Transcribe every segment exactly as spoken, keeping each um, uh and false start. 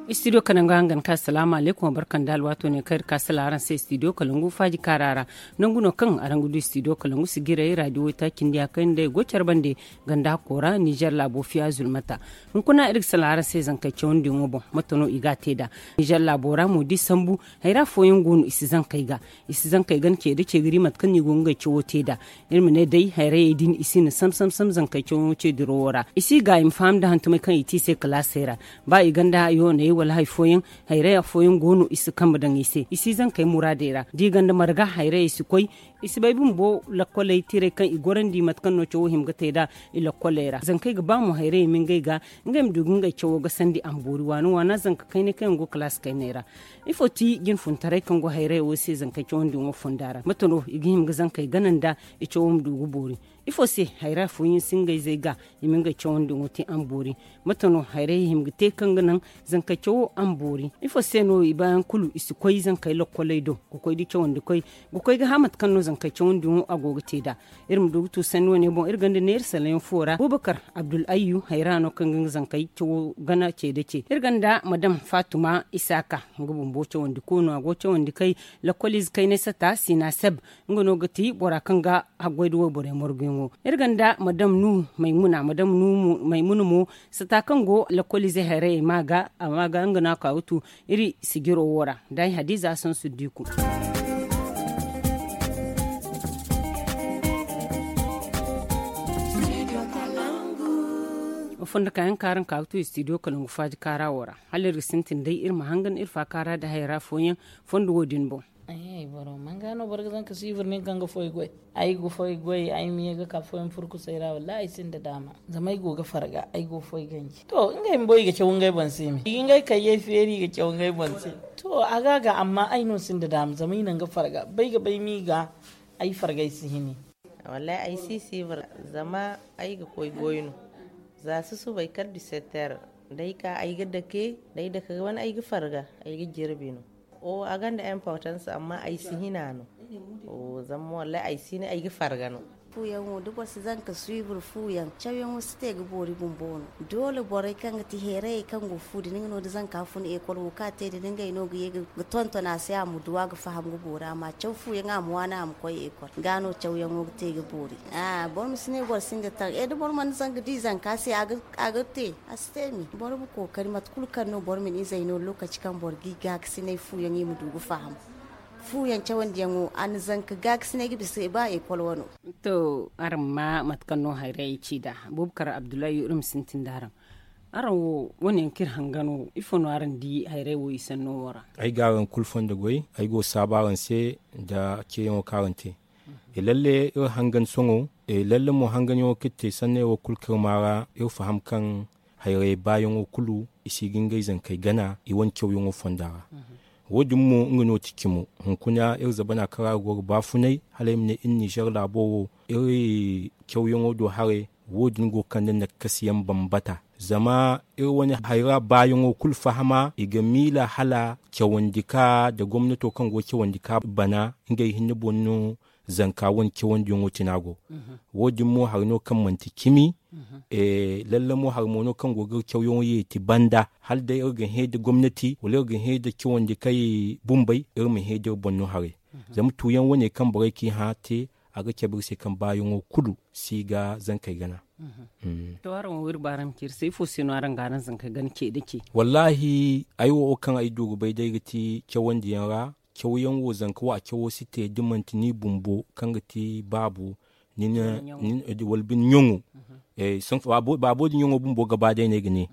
Istidiyo kalangu hangan ka salaamu alaykum wa barka nda alwaato ne kaŋ iri ka sala araŋ se istidiyo kalangu faaji kaara ra. Nangu no kaŋ araŋ ga du istidiyo kalangu sigiray raadiyo waytaaci nda ya kaŋ day go care bande ganda hakko ra nizer laabo fiya zulmata. Hunkuna iri ga sala araŋ se zankey cawandiyaŋo boŋ mate no i ga a te nd'a? Nizer laabo ra mo da i sambu, hayra fooyaŋ go no i si zankey ga. I si zankey gana ce da ce ga di mate kaŋ no i go ga ngey cawo te nd'a. Iri ma ne day hayrayey din i si na sam sam sam zankey cawo ce dirawo ra. I si ga i ma faham nda hantumey kaŋ i te i se kalaasey ra. Ba i gonda yooney wala hari fooyaŋ, hayray afooyaŋ go no i si kambe daŋ i se, i si zankey muraadey ra da i gonda marga hayrayey si koy. I si bay bumbo lakkoley tirey kaŋ i gorandi mate kaŋ no cawo hima ga te nd'a i lakkoley ra zankey ga ba mo hayrayey ma ngey ga, ngey ma du ga ngey cawo gasandi a ma boori waana waana zanka kaynay kaŋ yaŋ go kalaasi kaynay ra. Ifo ti jinfuntaray kaŋ go hayrayey wo se zankey cawandiyaŋo fonda ra mate no i ga hima ga zankey gana nda i cawo ma du ga boori? Ifo se hayra fooyaŋ si ngey zey ga i ma ngey cawandiyaŋo te a ma boori? Mate no hayrayey hima ga te kaŋ ga naŋ zankey cawo a ma boori? Ifo se no i baayaŋ kulu i si koy zankey lokkoley do ga koy da cawandikoy ga koy ga hã mate kaŋ no zankey cawandiyaŋo a go ga te nd'a? Iri ma du ga tu sanni wane boŋ iri gonda neera salayaŋ fo ra bubakar abdul ayyu hayra no kaŋ ga nga zankey cawo gana ce da ce iri gonda madam fatuma isaaka, nga bumbo cawandiko no a go cawandi kay lakkoliize kaynay sata sina seb. Nga no ga ti bora kaŋ ga haggoy da wayborey marguyaŋo. Iri gonda madam nuhu maymuna madam nuhu maymuna mo sata kaŋ go lakkoliize hayrayey ma ga a ma ga nga no a ka ga tu iri sijiro wo ra. Day hadiza sansu diku. Fondo kayaŋ kaaraŋ ka ga tu studio kalangu faaji kaara wo ra hala iri ga sintin day iri ma hangan iri faakaara da hayra fooyaŋ fondo wo din boŋ. Ay boro manga no boro ga zanka sivir nin kaŋ ga foy goy. Ay ga foy goy ay ma ye ga ka foyaŋ furkusay ra wallahi ay sinda daama. Zama ay go ga farga ay go foy ganji to ngey ma boy ga caw ngey boŋ se me i ga ngey kayyey feeri ga caw ngey boŋ se. To a ga ga amma ay no sinda daama zama i naŋ ga farga bay ga bay mi ga. Ay fargay si hini. Wallahi ay si sivir zama ay ga koy goy no. Za susubay kala disetter day ka ay ga dake day dake ga wane ay ga farga ay ga jirbi no. O a gonda importance amma ay si hina no. Zama wallahi ay si ne ay ga farga no. Fuyaŋo da boro si zanka suivre fuyaŋ cawyaŋo si te ga boori bumbo no. Doole borey kaŋ ga ti heerayey kaŋ go fu din nga no da zanka fun ekol wo kaŋ a te din ngey no ga ye ga tonton a se a ma du a ga faham ga boori a ma caw fuyaŋ a ma waani a ma koy ekol ga no cawyaŋo ga te ga boori. Boro ma si ne boro sinda taŋ e da boro mana zanga di zanka se a ga te a si te me boro ma kookari mate kulu kaŋ no boro ma ni izey no lokaci kaŋ boro ga i gaakasinay fuyaŋ i ma du ga faham. Fuyaŋ cawandiyaŋo a na zanka gaakasinay ga bisa ba ekol wano. To araŋ ma mate kaŋ no hayrayey ci nd'a. Bubakar abdullahi iri ma sintin da araŋ. Araŋ wo wane yaŋ kaŋ iri hanga no ifo no araŋ di hayray wo i sanno wo ra? Ay ga araŋ kulu fondo goy ay go ga saabu araŋ se nda ceeyaŋo kaŋ araŋ te. E lalle iri hangan sohõ e lalle mo hanganyaŋo kaŋ iri te sanney wo kulu kaŋ iri maa ra iri faham kaŋ hayray baayaŋo kulu i si ga ngey zankey gana i wane cawyaŋo fonda ra. Wo- din mo nga no ti cimo hunkuna iri zabana kaŋ ra ga go ga baafunay hala ay ma ne iri nizer laabo wo iri cawyaŋo do haray. Wo- din go ga kande nakkasiyaŋ bambata zama iri wane hayra baayaŋo kulu fahama i ga miila hala cawandi ka nda gomnato kaŋ go ga cawandi ka bana ngey hinne boŋ no. Zanka wane cawandiyaŋo tina go. Wo- din mo hari no kaŋ manti cimi. Lalle mo hari mo no kaŋ go ga iri cawyaŋo yeeti banda hala day iri ga hẽ nda gomnati wala iri ga hẽ nda cawandi kay bumbey iri ma hẽ da iri boŋ no haray. Zama tuuyaŋ wane kaŋ borey ka i hã te a ga cabe iri se kaŋ baayaŋo kulu si ga zankey gana. To araŋ wo iri baaraŋ ma ci iri se ifo se no araŋ ga araŋ zankey gana ce da ce? Wallahi ay wo kaŋ ay du ga bay day ga ti cawandiyaŋ ra. Cawyaŋ wo zanka wo a cawo si te da manti ni bumbo kaŋ ga ti baabo. Wala bine ɲaŋo. Baabo din ɲaŋo bumbo ga ba day no ay ga ne.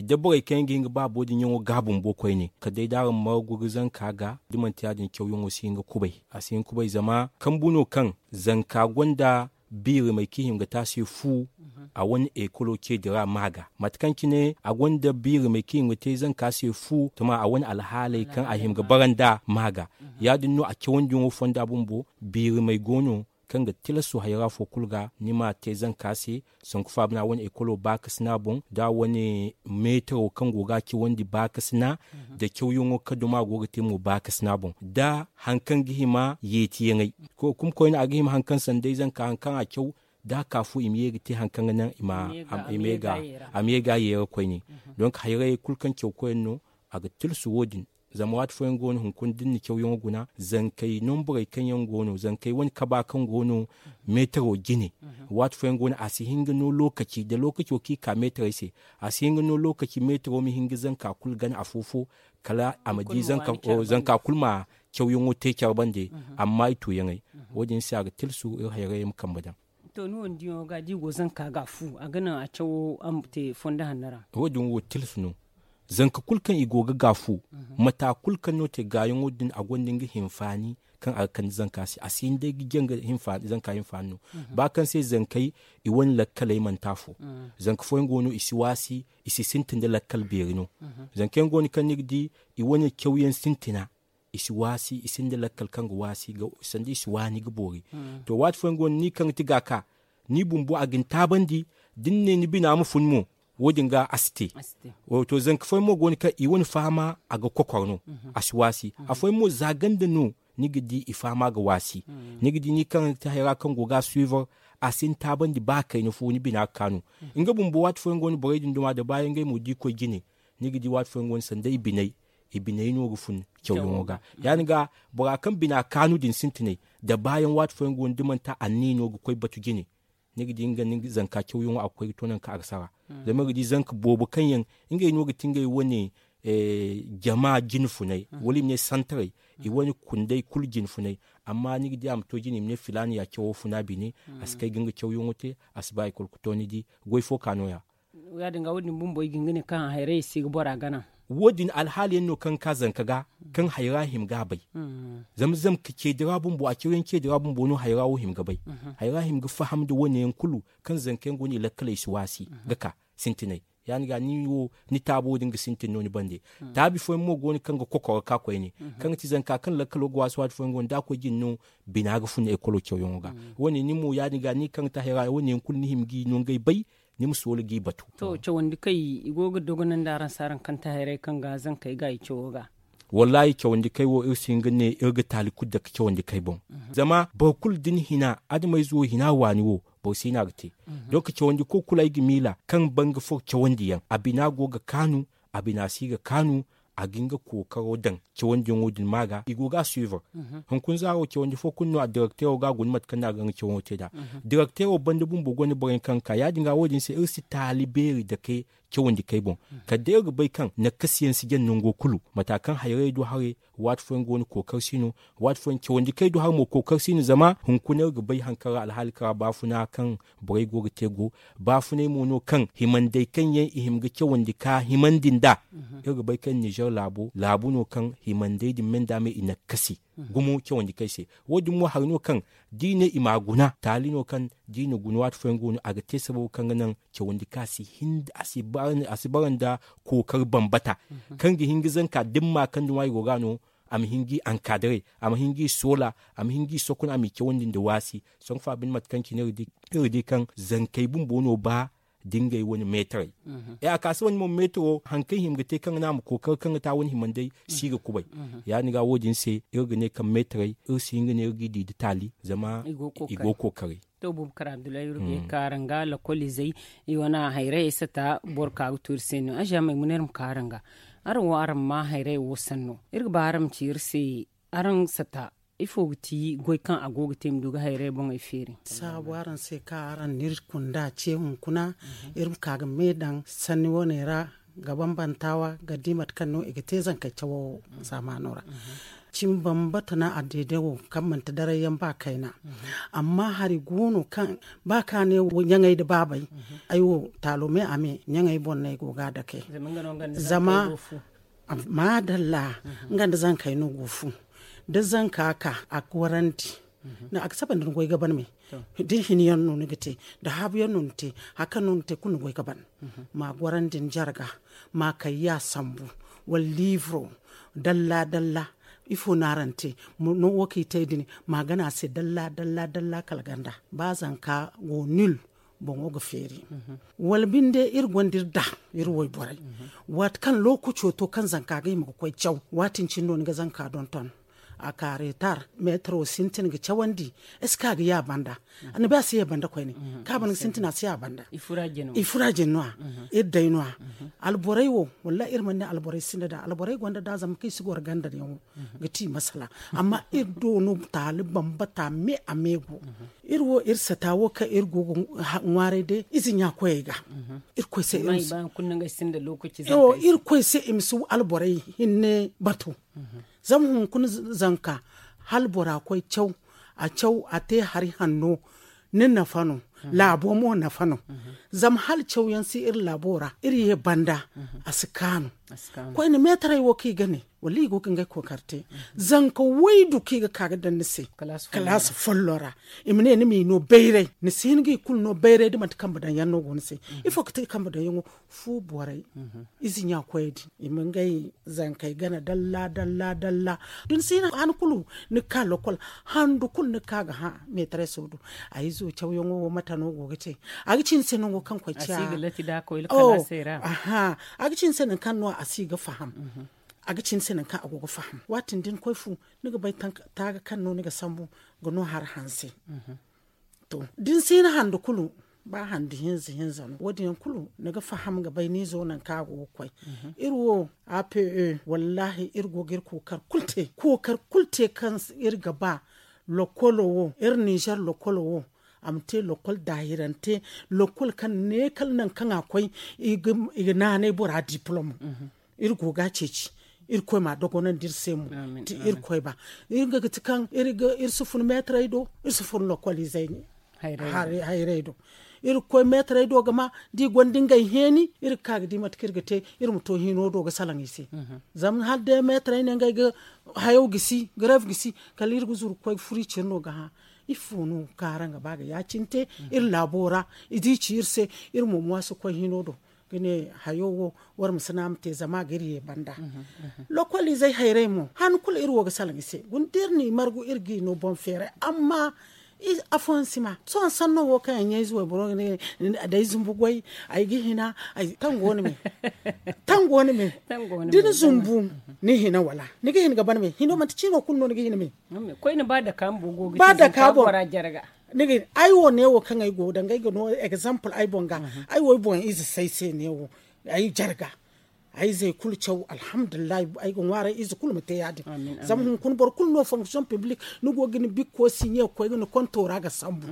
Da borey kaŋ yaŋ ga hin ga baabo din ɲaŋo ga bumbo koyne kala day da araŋ margu ga zanka ga da manti ya- din cawyaŋo si hin ga kubay. A si hin ga kubay zama kambu no kaŋ zanka gonda biirimey kaŋ i hima ga te a se fu. A wane ekolo ce dira ma ga mate kaŋ cine a gonda biirimey kaŋ i hima ga te zanka se fu tuma a wane alhaaley kaŋ a hima ga bara nd'a ma ga. Ya- din no a cawandiyaŋo fonda bumbo biirimey go no kaŋ ga tilaso hayra fo kulu ga ni ma te zanka se. Sanku faabana wane ekolo baakasina boŋ da wane meetaro kaŋ go ga a cawandi baakasina da cawyaŋo kaŋ duma go ga te mo baakasina boŋ da hari kaŋ ga hima yeetiyaŋey. Kuma koyne a ga hima hari kaŋ sanday zanka hari kaŋ a caw da a ka fu i ma ye ga te hari kaŋ ga naŋ i ma ye ga a yeera koyne. Donk hayrayey kulu kaŋ caw koyne no. A ga tilsu wo- din. Zama waati fooyaŋ go no hunkuna da ni na cawyaŋo guna zankey nomborey kaŋ yaŋ go no zankey wane kaba kaŋ go no meetaro jine. Waati fooyaŋ go no a si hin ga no lookaci da lookaco kaŋ i ka meetarey se. A si hin ga no lookaci meetaro ma hin ga zanka kulu gana afo-fo kala a ma di zanka kulu ma cawyaŋo te care bande. Amma i tuuyaŋey wo- din se a ga tilsu iri hayrayey ma kambe daŋ. To ni wo ni diyaŋo ga da i go zanka ga a fu a ga naŋ a cawo a ma te fondo hanno ra. Wo- din wo tilsu no. Zanka kulu kaŋ i go ga gaafu mata kulu kaŋ no te gaayaŋo din a gonda nga hinfaani kaŋ a ga kande zanka se a si hin day ga jaŋ ga zanka hinfaani no. Ba kaŋ se zankey i wane lakkaley manti afo. Zanka fooyaŋ go no i si waasi i si sintin da lakkal beeri no. Zanka yaŋ go no kaŋ ni ga di i wane cawyaŋ sintina i si waasi i sinda lakkal kaŋ ga waasi sanda i si waani ga boori. To waati fooyaŋ go no ni kaŋ ga ti ga ka ni bumbo a ga ni taabandi da ni ne ni bina ma fun mo. Wo- din ga a si te. To zanka fooyaŋ mo go no kaŋ i wane fahama a ga kokor no. A si waasi afooyaŋ mo za ganda no ni ga di i fahama ga waasi. Ni ga di ni kaŋ ga ti hayra kaŋ go ga a suivre a si ni taabandi ba kayna fo ni bina ga kaanu. Nga bumbo waati fooyaŋ go no borey din duma da baayaŋ ngey mo da i koy jine ni ga di waati fooyaŋ go no sanda i biney i biney no ga fun cawyaŋo ga. Ya- din ga bora kaŋ bina kaanu din sintinay da baayaŋ waati fooyaŋ go no da manti anniya no ga koy batu jine. Ni ga di nga ni zanka cawyaŋo a ga koy ga to nangu kaŋ a ga sara. Zama iri ga di zanka boobo kaŋ yaŋ ngey no ga ti ngey wane jama jine funay wala i ma ne santaray i wane kunday kulu jine funay. Amma ni ga di a ma to jine i ma ne filaana ya cawo funa bine a si kay ga nga cawyaŋo te a si ba i kulu ga to ni di goy fo ka no- ya. Ya- din ga wo- din bumbo i ga hin ga ne kaŋ hayray i si ga bora gana. Wo- din alhaali yaŋ no kaŋ ga ka zanka ga kaŋ hayra hima ga a bay. Zama zama ka ceedi ra bumbo a cawyaŋ ceedi ra bumbo no hayra wo hima ga bay. Hayra hima ga faham nda wane yaŋ kulu kaŋ zanka yaŋ go no i lakkaley si waasi ga ka sintinay. Ya- din ga ni wo ni taabo din ga sintin no ni bande. Taabi fooyaŋ mo go no kaŋ ga kokoro ga ka koyne kaŋ ga ti zanka kaŋ lakkalo ga waasi waati fooyaŋ go no da a koy jine no bina ga fun ekolo cawyaŋo ga. Wo- ne ni mo ya- din ga ni kaŋ ga ti hayra wo- ne yaŋ kulu ni hima ga i no ngey bay. Ni ma soola g'i batu. To cawandi kay i go ga dogonandi araŋ se araŋ kaŋ ti hayray kaŋ ga zankey ga i cawo ga. Wallaahi cawandi kay wo iri si hin ga ne iri ga taali kulu dake cawandi kay boŋ. Zama boro kulu da ni hina adamayze wo hina waani wo boro si no a ga te. Donk cawandi ko kulu ay ga miila kaŋ ban ga foro cawandi yaŋ a bina go ga kaanu a bina si ga kaanu. A ga nga kookaro daŋ cawandiyaŋo din ma ga i go ga a suivre. Hunkuna zaaro cawandi fo kulu no a direkteero ga a guna mate kaŋ no a ga nga cawandiyaŋo te nd'a. Direkteero banda bumbo gonda borey kaŋ ga ka ya- din ga wo- din se iri si taali beeri dake cawandi kay boŋ. Kala day iri ga bay kaŋ nakkasiyaŋ si jaŋ nango kulu mata kaŋ hayrayey do haray. Waati fooyaŋ go no kookar si no. Waati fooyaŋ cawandi kay do haray mo kookar si no zama hunkuna iri ga bay hari kaŋ ra alhaali kaŋ ra baafuna kaŋ borey go ga te go. Baafunay mo no kaŋ himandey kaŋ yaŋ i hima ga cawandi ka himandi nd'a. Iri ga bay kaŋ nizer laabo laabu no kaŋ himandey din me nd'a me i nakkasi gumo cawandi kay se. Wo- din mo hari no kaŋ da i ne i m'a guna taali no kaŋ da i na guna waati fooyaŋ go no a ga te sababo kaŋ ga naŋ cawandi kaŋ a si bara nda kookari bambata kaŋ ga hin ga zanka da ni ma kaŋ da ŋwa i go ga no. A ma hin ga i ankadare a ma hin ga i soola a ma hin ga i sokun a m'i cawandi nda waasi. Sohõ fa binde mate kaŋ cine iri di kaŋ zankey bumbo no ba da ngey wane meetarey. E a ka se wane mo meetaro hari kaŋ i hima ga te kaŋ ga naŋ a ma kookari kaŋ ga ta wane himandey si ga kubay. Ya- din ga wo- din se iri ga ne kaŋ meetarey iri si hin ga ne iri g'i di nda taali zama i go ga kookari. To bumbo kar abdullahi iri ga ye ga ka araŋ ga lakolizey i wane hayray ay sata boro ka ga to iri se no aziya maymuna iri ma ka araŋ ga. Araŋ wo araŋ ma hayray wo sanno iri ga ba araŋ ma ci iri se araŋ sata ifo ga ti goy kaŋ a go ga te ma du ga hayray boŋey feeri? Saabu araŋ se kaŋ araŋ na iri kunda ce hunkuna iri ma ka ga me daŋ sanni wane ra ga bambanta wa ga di mate kaŋ no i ga te zankey cawo zaamaano ra. Cimi bambata no a deede wo kaŋ manti daray yaŋ ba kayna. Amma hari go no kaŋ ba ka ne ɲaŋey nda baabey ay wo taalo me a me ɲaŋey boŋ no ay go ga a dake. Zama maadalla nga nda zankey no go fu da zanka ka a gorandi. A ga saba nda ni goy ga ban me da ni hini yaŋ no ni ga te da haabu yaŋ no ni te hari kaŋ no ni te kulu ni goy ga ban. Ma gorandi ni jarga ma kayya sambu wala liiviro dalla dalla. Ifo no araŋ te no wo kaŋ i te din ma gana a se dalla dalla dalla kala ganda ba zanka go nil boŋo ga feeri. Wala binde iri gonda iri da iri wayborey waati kaŋ lookaco to kaŋ zanka ga hima ga koy caw waati din cine no ni ga zanka donton. A ka retar metro sintin ga cawandi. Est-ce que a ga ya banda? Annabi a si ya banda koyne. Ka ban ga sintin a si ya banda. I fura jin no a. Ir day no a. Alboray wo, wallahi ir man ne alboray sinda da alboray gonda da zama kai si gor ganda ne wo. Ga ti masala. Amma ir do no tali bambata me a me go. Ir wo ir sata wo ka ir go ŋwarai de izi nya koyay ga. Ir koy se ir koy se im su alboray hinne batu. Zama hun kun zanka hal bora koy caw a caw a te hari hanno. Ni nafa no. Labo mo nafa no. Zama hal caw yan si ir labo ra ir ye banda. A si kanu. Koy ni metaray wo ki gane wala i go ga ngai kokarte. Zanka waidu ki ga ka ga dan ni se. Kalasi follo ra. I ma ne ni mi no bayray ni si hin ga i kulu no bayray da manti kamba dan yan no go ni se. Ifo ga te kamba dan yan wo fu borai. Izi nya koy din i ma ngai zankey gana dalla dalla dalla. Din si na han kulu ni ka lokol handu kulu ni ka ga ha. Metres wo do a izo caw yaŋo wo mata no go ga te. A ga ci ni se nango kaŋ koy ciya. Aha. A ga ci ni se nankaŋ no a si ga faham. A ga ci ni se nankaŋ a go ga faham watin din koy fu ni ga bay taga kaŋ no ni ga sambu ga no har hanse. To din si na handu kulu ba handu hinza hinza no wo din kulu ni ga faham ga bay ni zo nankaŋ a go ga koy. Iri wo a p e wallahi iri go ga iri kokar kulu te kokar kulu te kaŋ iri ga ba. Lokolo wo iri nizer lokolo wo a ma te lokol daahirante lokol kaŋ ne kala nankaŋ a koy i ga naanay bora diplom. Iri go ga a ceeci. Iri koy ma dogonandi iri se mo ti iri koy ba. Iri ga ga ti kaŋ iri si fun meetaray do iri si fun lokol izey. Hayray do iri ga koy meetaray do ga ma da i gonda ngey heeni iri ga ka ga di mate kaŋ iri ga te. Iri ma to hino do ga salaŋ i se. Zama hala day meetaray ne ngey ga hayaw gisi gareef gisi kala iri ga zuru ga koy ga furo i cine no ga hã. Ifo no kaŋ araŋ ga ba ga ya- cine te iri laabo ra i di ci iri se. Iri mo mo a si koy hino do ga ne hayo wo war ma si no a ma te zama a ga iri ye banda. Lokol izey hayray mo han kulu iri wo ga salaŋ i se guna da iri n'i margu iri g'i no boŋ feeray amma afooyaŋ si ma sohõ sanno wo kaŋ yaŋ ɲayze wayboro ga ne day zumbu goy ay ga hina. Tango ni me tango ni me da ni zumbu ni hina wala ni ga hin ga ban me hino manti ciino kulu no ni ga hin me. Koyne ba daka bumbo go ga ba daka bora jarga. Ni ga hin ay wo neewo kaŋ ay go danga ay ga no example ay boŋ ga ay wo ay boŋ ize say se neewo ay jarga. Ay zey kulu caw alhamdulillahi ay ga ŋwaaray ize kulu ma te ya- din. Zama hunkuna boro kulu no fonction publique ni go ga ni bikko siɲe ga koy ga ni konto ra ga sambu.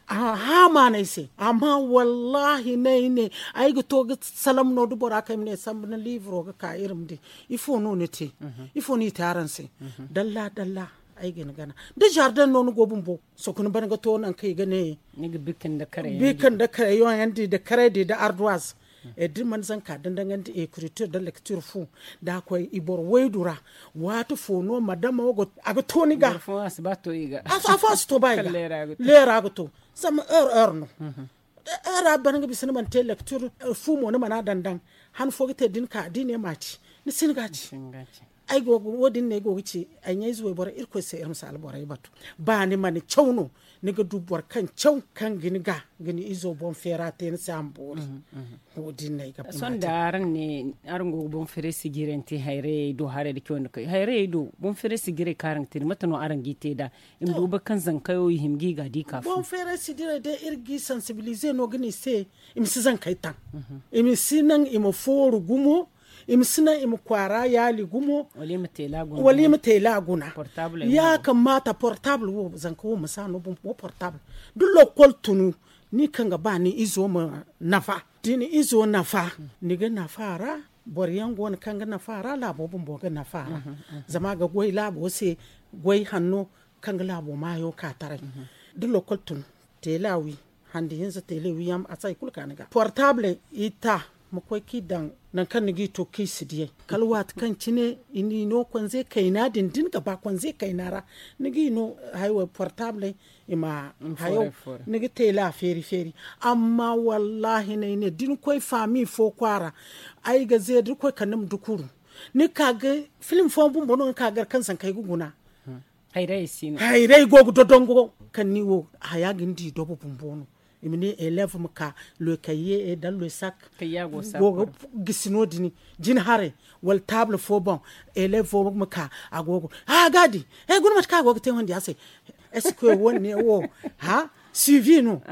Aha maanay se amma wallahi ne ay ne ay ga to ga salam no da bora kaŋ ay ma ne sambu ni livro ga ka iri ma di. Ifo no ni te ifo no i te araŋ se? Dalla dalla ay ga ni gana da jardin no ni go bumbo. Sokuna ban ga to nankaŋ i ga ne bikin da kareyaŋ di da karay di da arduwaz. Da ni mana zanka dandaŋandi ekritir da lektir fu da a koy i boro waydu ra. Waati fo no madama a ga to ni ga afo a si to ba i ga leera ga to zama heure heure no. Heure a ban ga bisa ni mana te lektir fu mo ni mana dandaŋ han fo ga te da ni ka da i ne ma ci ni si ni ga ci. Ay go ga wo- din no ay go ga ci ay ɲayze wayboro irkoy se iri ma si alborey batu. Ba ni mana caw no ni ga du boro kaŋ caw kaŋ ga ni ga ga ni izo boŋ feera te ni se a ma boori. Wo- din no ay ga ba ni ma te. Sohõ da araŋ ne araŋ go ga boŋ feeray sijirante hayrayey do haray da cawandi kay hayrayey do boŋ feeray sijirey kaŋ araŋ ga te da mate no araŋ g'i te nd'a? I ma du boro kaŋ zankayo i hima g'i ga di ka fo boŋ feeray sijirey day iri g'i sansibilize no ga ni se. I ma si zankey taŋ i ma si naŋ i ma fooru gumo. I ma si naŋ i ma kwaara yaali gumo wala i ma teela guna. Ya kamata portable wo zanka wo ma si a no bumbo portable da lokol tunu ni kaŋ ga ba ni izo ma nafa. Da ni izo nafa ni ga nafa a ra. Boro yaŋ go no kaŋ ga nafa a ra laabo bumbo ga nafa a ra. Zama a ga goy laabo se goy hanno kaŋ ga laabo maayo ka taray da lokol tun. Teela wi handi hinza teela wi yaŋ a si hari kulu ka ni ga portable i ta ma koy kaŋ i daŋ. Nangu kaŋ ni ga i to kaŋ i si diyay kala waati kaŋ cine i n'i no konze kayna din da ni ga ba konze kayna ra ni ga i no. Haya wo portable i ma hayo ni ga teela feeri feeri. Amma wallahi no ay ne da ni koy faami fo kwaara ay ga ze da ni koy kande ma dukuru ni ga ka ga filim fooyaŋ bumbo no ni ga ka ga gar kaŋ zankey ga guna. Hayray go ga dodongo kaŋ ni wo haya ga ni di dobo bumbo no. I ma ne elev ma ka loy kayye dan loy sak go ga gisi no- din jina haray wala taabla fo boŋ. Elev fo ma ka a go ga a ga di. Guna mate kaŋ a go ga te wandi a se. Est ce que wo- ne wo ha suivi no?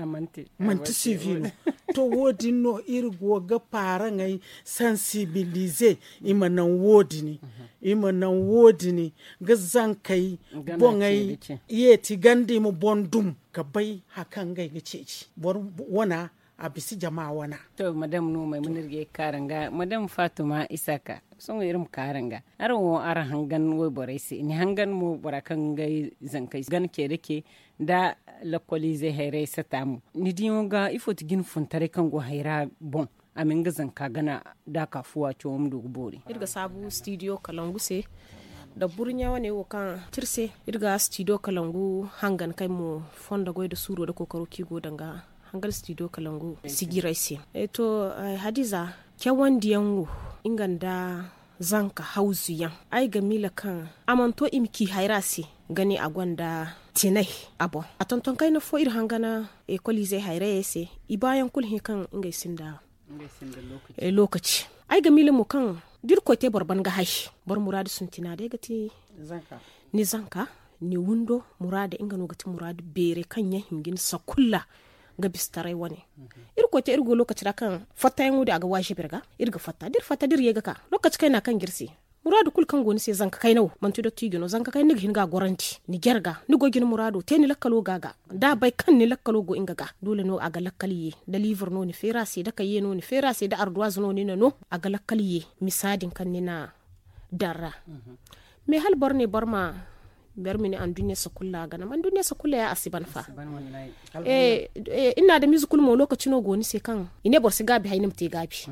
Manti suivi no. To wo- din no iri go ga paaraŋey sansibilize i ma naŋ wo- din i ma naŋ wo- din ga zankey boŋey yeeti ganda i ma boŋ dum ga bay hari kaŋ ngey ga ceeci boro wana a bisa jama wana. To madam no maymuna iri ga ye ga kaara nga madam fatuma isaka. Sohõ iri ma kaara nga araŋ wo araŋ hangan wayborey se ni hangan mo bora kaŋ ga ngey zankey gana ce da ce nda lakkoliizey hayrayey sata mo ni diyaŋo ga ifo ti jine funtaray kaŋ go hayra boŋ a ma nga zanka gana da a ka fuwa cawo ma du ga boori. Iri ga saabu stidiyo kalangu se nda burɲa wane wo kaŋ ti iri se iri ga stidiyo kalangu hangan kaŋ ay mo fondo goy nda suuro nda kookaro kaŋ i go danga hangan stidiyo kalangu sijiray se. To hadiza cawandiyaŋ wo nga nda zanka hawzu yaŋ ay ga miila kaŋ a mana to i ma ci hayra se ga ne a gonda tinay a boŋ a tonton kayna fo iri hangana ekoliizey hayrayey se i baayaŋ kulu hẽ kaŋ ngey sinda lookaci. Ay ga miila mo kaŋ da irkoy te boro ban ga hay boro muraadu sintina day ga ti ni zanka ni windo muraadu nga no ga ti muraadu beeray kaŋ yaŋ hima ga ni sakulla ga bisa taray wane. Irkoy te iri go lookaci ra kaŋ fattayaŋo din a ga waazibi iri ga iri ga fatta da iri fatta da iri ye ga ka lookaci kayna kaŋ ga iri se muraadu kulu kaŋ go ni se zanka kayna wo manti dottijo no zanka kayna ni ga hin ga a gorandi ni jarga ni go ga ni muraado te ni lakkalo ga ga da a bay kaŋ ni lakkalo go nga ga doole no a ga lakkal ye da liibur no ni feeri a se da kayye no ni feeri a se da arduwaazu no ni na no a ga lakkal ye misa din kaŋ ni na daŋ ra. Mais hala boro ne boro ma boro ma ne anduɲɲa sakulla gana ma anduɲɲa sakulla ya a si ban fa. Iri na adamiize kulu mo lookaci no go ni se kaŋ i ne boro si gaabi hay ni ma te gaabi.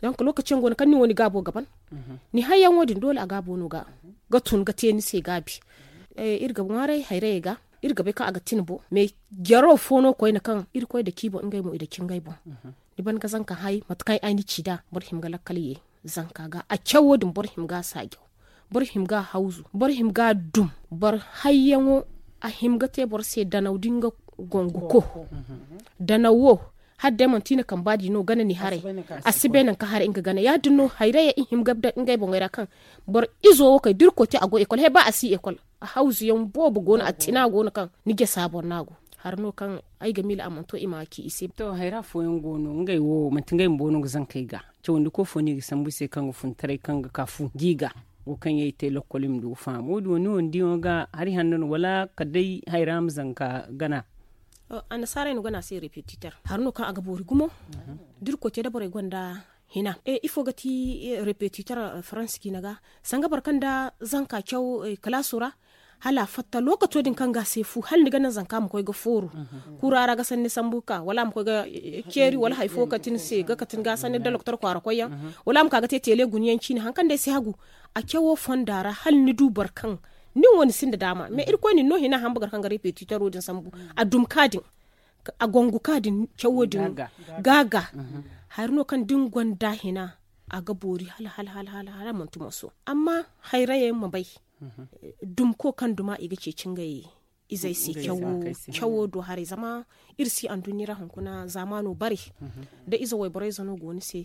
Donc lookaci yaŋ go no kaŋ ni wo ni gaabo ga ban ni hayyaŋo din doole a gaabo no ga tun ga te ni se gaabi. Iri ga ŋwaaray hayrayey ga iri ga bay kaŋ a ga tin bo mais jaro fo no koyne kaŋ irkoy dake i boŋ ngey mo i dake ngey boŋ. Ni ban ga zanka hay mate kaŋ ay ni ci nd'a boro hima ga lakkal ye zanka ga a cawo din boro hima ga a saajaw boro hima ga a hawzu boro hima ga a dum boro hayyaŋo a hima ga te boro se danaw da nga gonguko. Danaw wo hala day manti i na kamba di no gana ni haray a si bay nangu kaŋ haray nga gana ya- din no hayrayey i hima ga daŋ ngey boŋey ra kaŋ boro izo wo kay da irkoy te a go ekol he ba a si ekol a hawzu yaŋ boobo go no a tina go no kaŋ ni jasa boro no a go. Hari no kaŋ ay ga miila a mana to i ma ci i se. To hayra fooyaŋ go no ngey wo manti ngey bumbo no ga zankey ga cawandi koy fo no i ga sambu i se kaŋ ga funtaray kaŋ ga ka fu gi ga wo kaŋ yaŋ i te lakkol i ma du ga faham wo- din wo ni wo ni diyaŋo ga hari hanno no wala kala day hayra ma zanka gana? Annasaarey no gana a se repetiteur hari no kaŋ a ga boori gumo da irkoy te da borey gonda hina ifo ga ti repetiteur faransa ciina ga sanga boro kaŋ da zanka caw kalaaso ra hala a fatta lookaco din kaŋ ga a se fu hala ni ga naŋ zanka ma koy ga fooru kura ra ga sanni sambu ga ka wala a ma koy ga ceeri wala hari fo kati ni se ga kati ni ga sanni da doktor kwaara koyyaŋ wala a ma ka ga te teele guna yaŋ ciine hari kaŋ day si hagu a cawo fonda ra hala ni du boro kaŋ nin wo ni sinda daama mais irkoy na ni no hina hamba gar kaŋ ga repetitoro din sambu a dum ka din a gongu ka din cawo din ga ga hari no kaŋ da ni gonda hina a ga boori hala hala hala hala manti moso amma hayrayey ma bay dumko kaŋ duma i ga ceeci ngey izey se cawo do haray zama iri si anduɲɲa ra hunkuna zaamaano bare da ize wayborey zano go ni se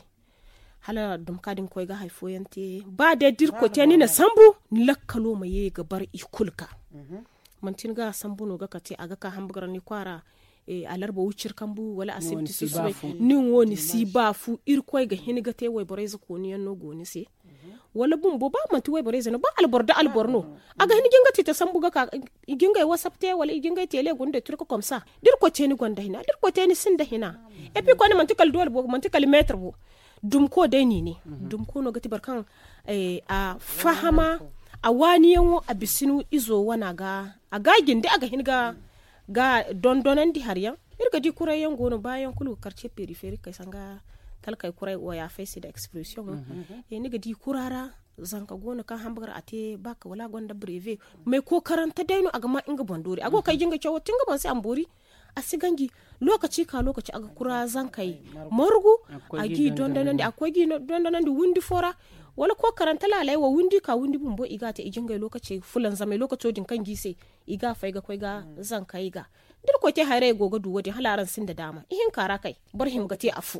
hala dumka din koy ga hari fooyaŋ te ba day da irkoy te ni na sambu ni lakkalo ma ye ga bar i kulu ga manti ni ga sambu no ga kate a ga ka hamba ga ra ni kwaara alarba wucir kambu wala asibti susubay nin wo ni si ba fu irkoy ga hin ga te wayborey za kooniyaŋ no go ni se wala bumbo ba manti wayborey za no ba alboro da alboro no a ga hin jinga tite sambu ga ka i jingay wasap te wala i jingay tele gunda turka komsa da irkoy te ni gonda hina da irkoy te ni sinda hina epi koy ni manti kala doole bo manti kala meetar bo dumko day ni ne dumko no ga ti boro kaŋ a fahama a waaniyaŋo a bisinu izo wana ga a ga a jinde a ga hin ga ga dondonandi hari yaŋ iri ga di kuray yaŋ go no baayaŋ kulu ga karce periferi kay sanga talkay kuray waya fay se nda expression ni ga di kura ra zanka go no kaŋ hamba ga ra a te bak wala a gonda breve mais kookarante day no a ga ma nga boŋ doori a go ga kay jinga cawo ti nga boŋ se a ma boori a si ganji lookaci ka lookaci a ga kura zankey margu a g'i dondonandi a ga koy g'i dondonandi windi fo ra wala kookarante laaley wo windi ka windi bumbo i ga a te i jingay lookaci fulanzamey lookaco din kaŋ g'i se i ga a fay ga koy ga zankey ga Da iri koy te hayray go ga du wo- din hala araŋ sinda daama ihinka ra kay boro hima ga te afo.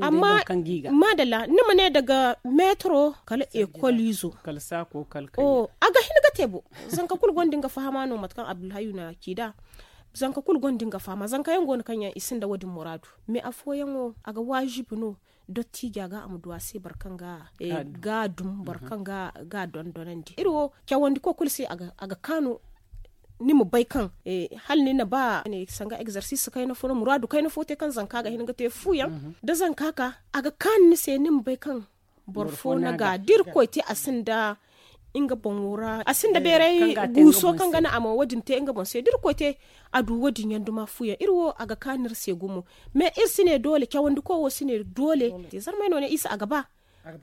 Amma maadalla ni ma ne daga meetaro kala ekol izo. A ga hin ga te bo. Zanka kulu gonda nga fahama no mate kaŋ abdulhayu na ci nd'a. Zanka kulu gonda nga fahama zanka yaŋ go no kaŋ yaŋ i sinda wo- din muraadu. Mais afooyaŋo a ga waajibi no dottija ga a ma du a se boro kaŋ ga ga dum boro kaŋ ga dondonandi iri wo cawandiko kulu se a ga kaanu. Ni ma bay kaŋ hala ni na ba sanga egzarsis kayna fo no muraadu kayna fo te kaŋ zanka ga hin ga te fuyaŋ da zanka ka a ga kaanu ni se ni ma bay kaŋ boro fo na ga da iri koy te a sinda nga boŋo ra a sinda beeray guuso kaŋ ga naŋ a ma wo- din te nga boŋ se da iri koy te a du wo- din yaŋ duma fuyaŋ iri wo a ga kaanu iri se gumo. Mais iri si ne doole cawandiko wo si ne doole te zarmay no ne isa a ga ba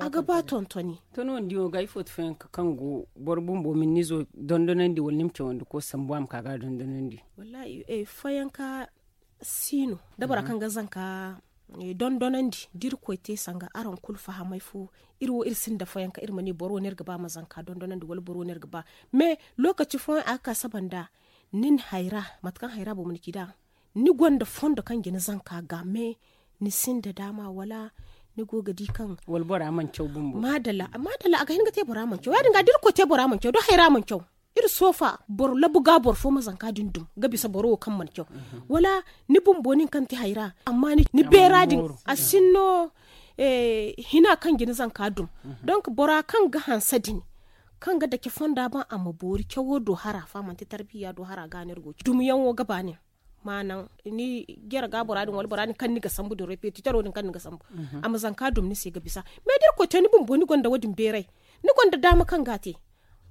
a ga ba tontoni. To ni wane diyo ga ifo ti fayanka kaŋ go boro bumbo ma ni nizo dondonandi wala ni ma cawandiko sambu a ma ka ga dondonandi? Wallahi fayanka si no da bora kaŋ ga zanka dondonandi da iri koy te sanga araŋ kulu fahamay fo. Iri wo iri sinda fayanka iri ma ne boro wo no iri ga ba ma zanka dondonandi wala boro wo no iri ga ba. Mais lokaci fooyaŋ a ga ka saba nda nin hayra mate kaŋ hayra boŋ ma ni ci nd'a ni gonda fondo kaŋ ga ni zanka ga mais ni sinda daama wala ni go ga di kaŋ wala bora mana caw bumbo. Maadalla a ga hin ga te bora mana caw ya- din ga da iri koy te bora mana caw da hayra mana caw. Iri soofa boro labu ga boro fo ma zanka din dum ga bisa boro wo kaŋ mana caw wala ni bumbo nin kaŋ te hayra amma ni beera din a sinno hina kaŋ ga ni zanka dum. Donk bora kaŋ ga hanse din kaŋ ga dake fonda ba a ma boori cawo do hara fa manti tarbiya do hara ga no iri go ga ci dumiyaŋo ga ba nin ma naŋ ni jare ga bora din wala bora din kaŋ ni ga sambu din repetitoro din kaŋ ni ga sambu a ma zanka dum ni se ga bisa. Mais da iri koy te ni bumbo ni gonda wo- din beeray ni gonda daama kaŋ ga a te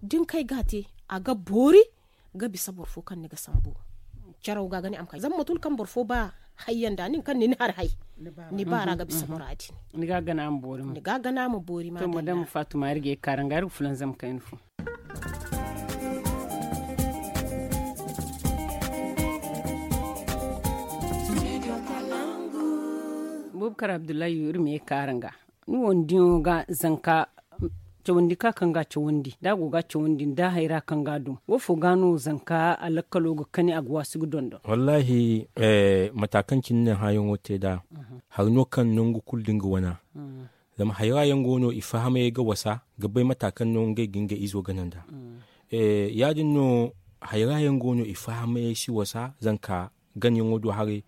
da ni kay ga a te a ga boori ga bisa boro fo kaŋ ni ga sambu. Caraw ga ga ne a ma kay zama mate kulu kaŋ boro fo ba hayyaŋ da nin kaŋ ni ni hari hay ni baara ga bisa bora din. Ni ga gana a ma boori ma. Ni ga gana a ma boori ma. To madama fatuma iri ga ye kaara nga iri ga fulanzam kayna fo. Bubakar abdullahi iri ma ye kaara nga ni wo ni diyaŋo ga zanka cawandi ka kaŋ ga a cawandi da a go ga a cawandi nda hayra kaŋ ga a dum wo fo ga no zanka a lakkalo ga kani a ga waasu ga dondon? Wallahi mata kaŋ cine ni na hããyaŋo te nd'a hari no kaŋ nangu kulu da nga wana. Zama hayra yaŋ go no i fahamay ga wasa ga bay mata kaŋ no ngey ga ngey izo gana nd'a. Ya- din no hayra yaŋ go no i fahamay si wasa zanka ganyaŋo do haray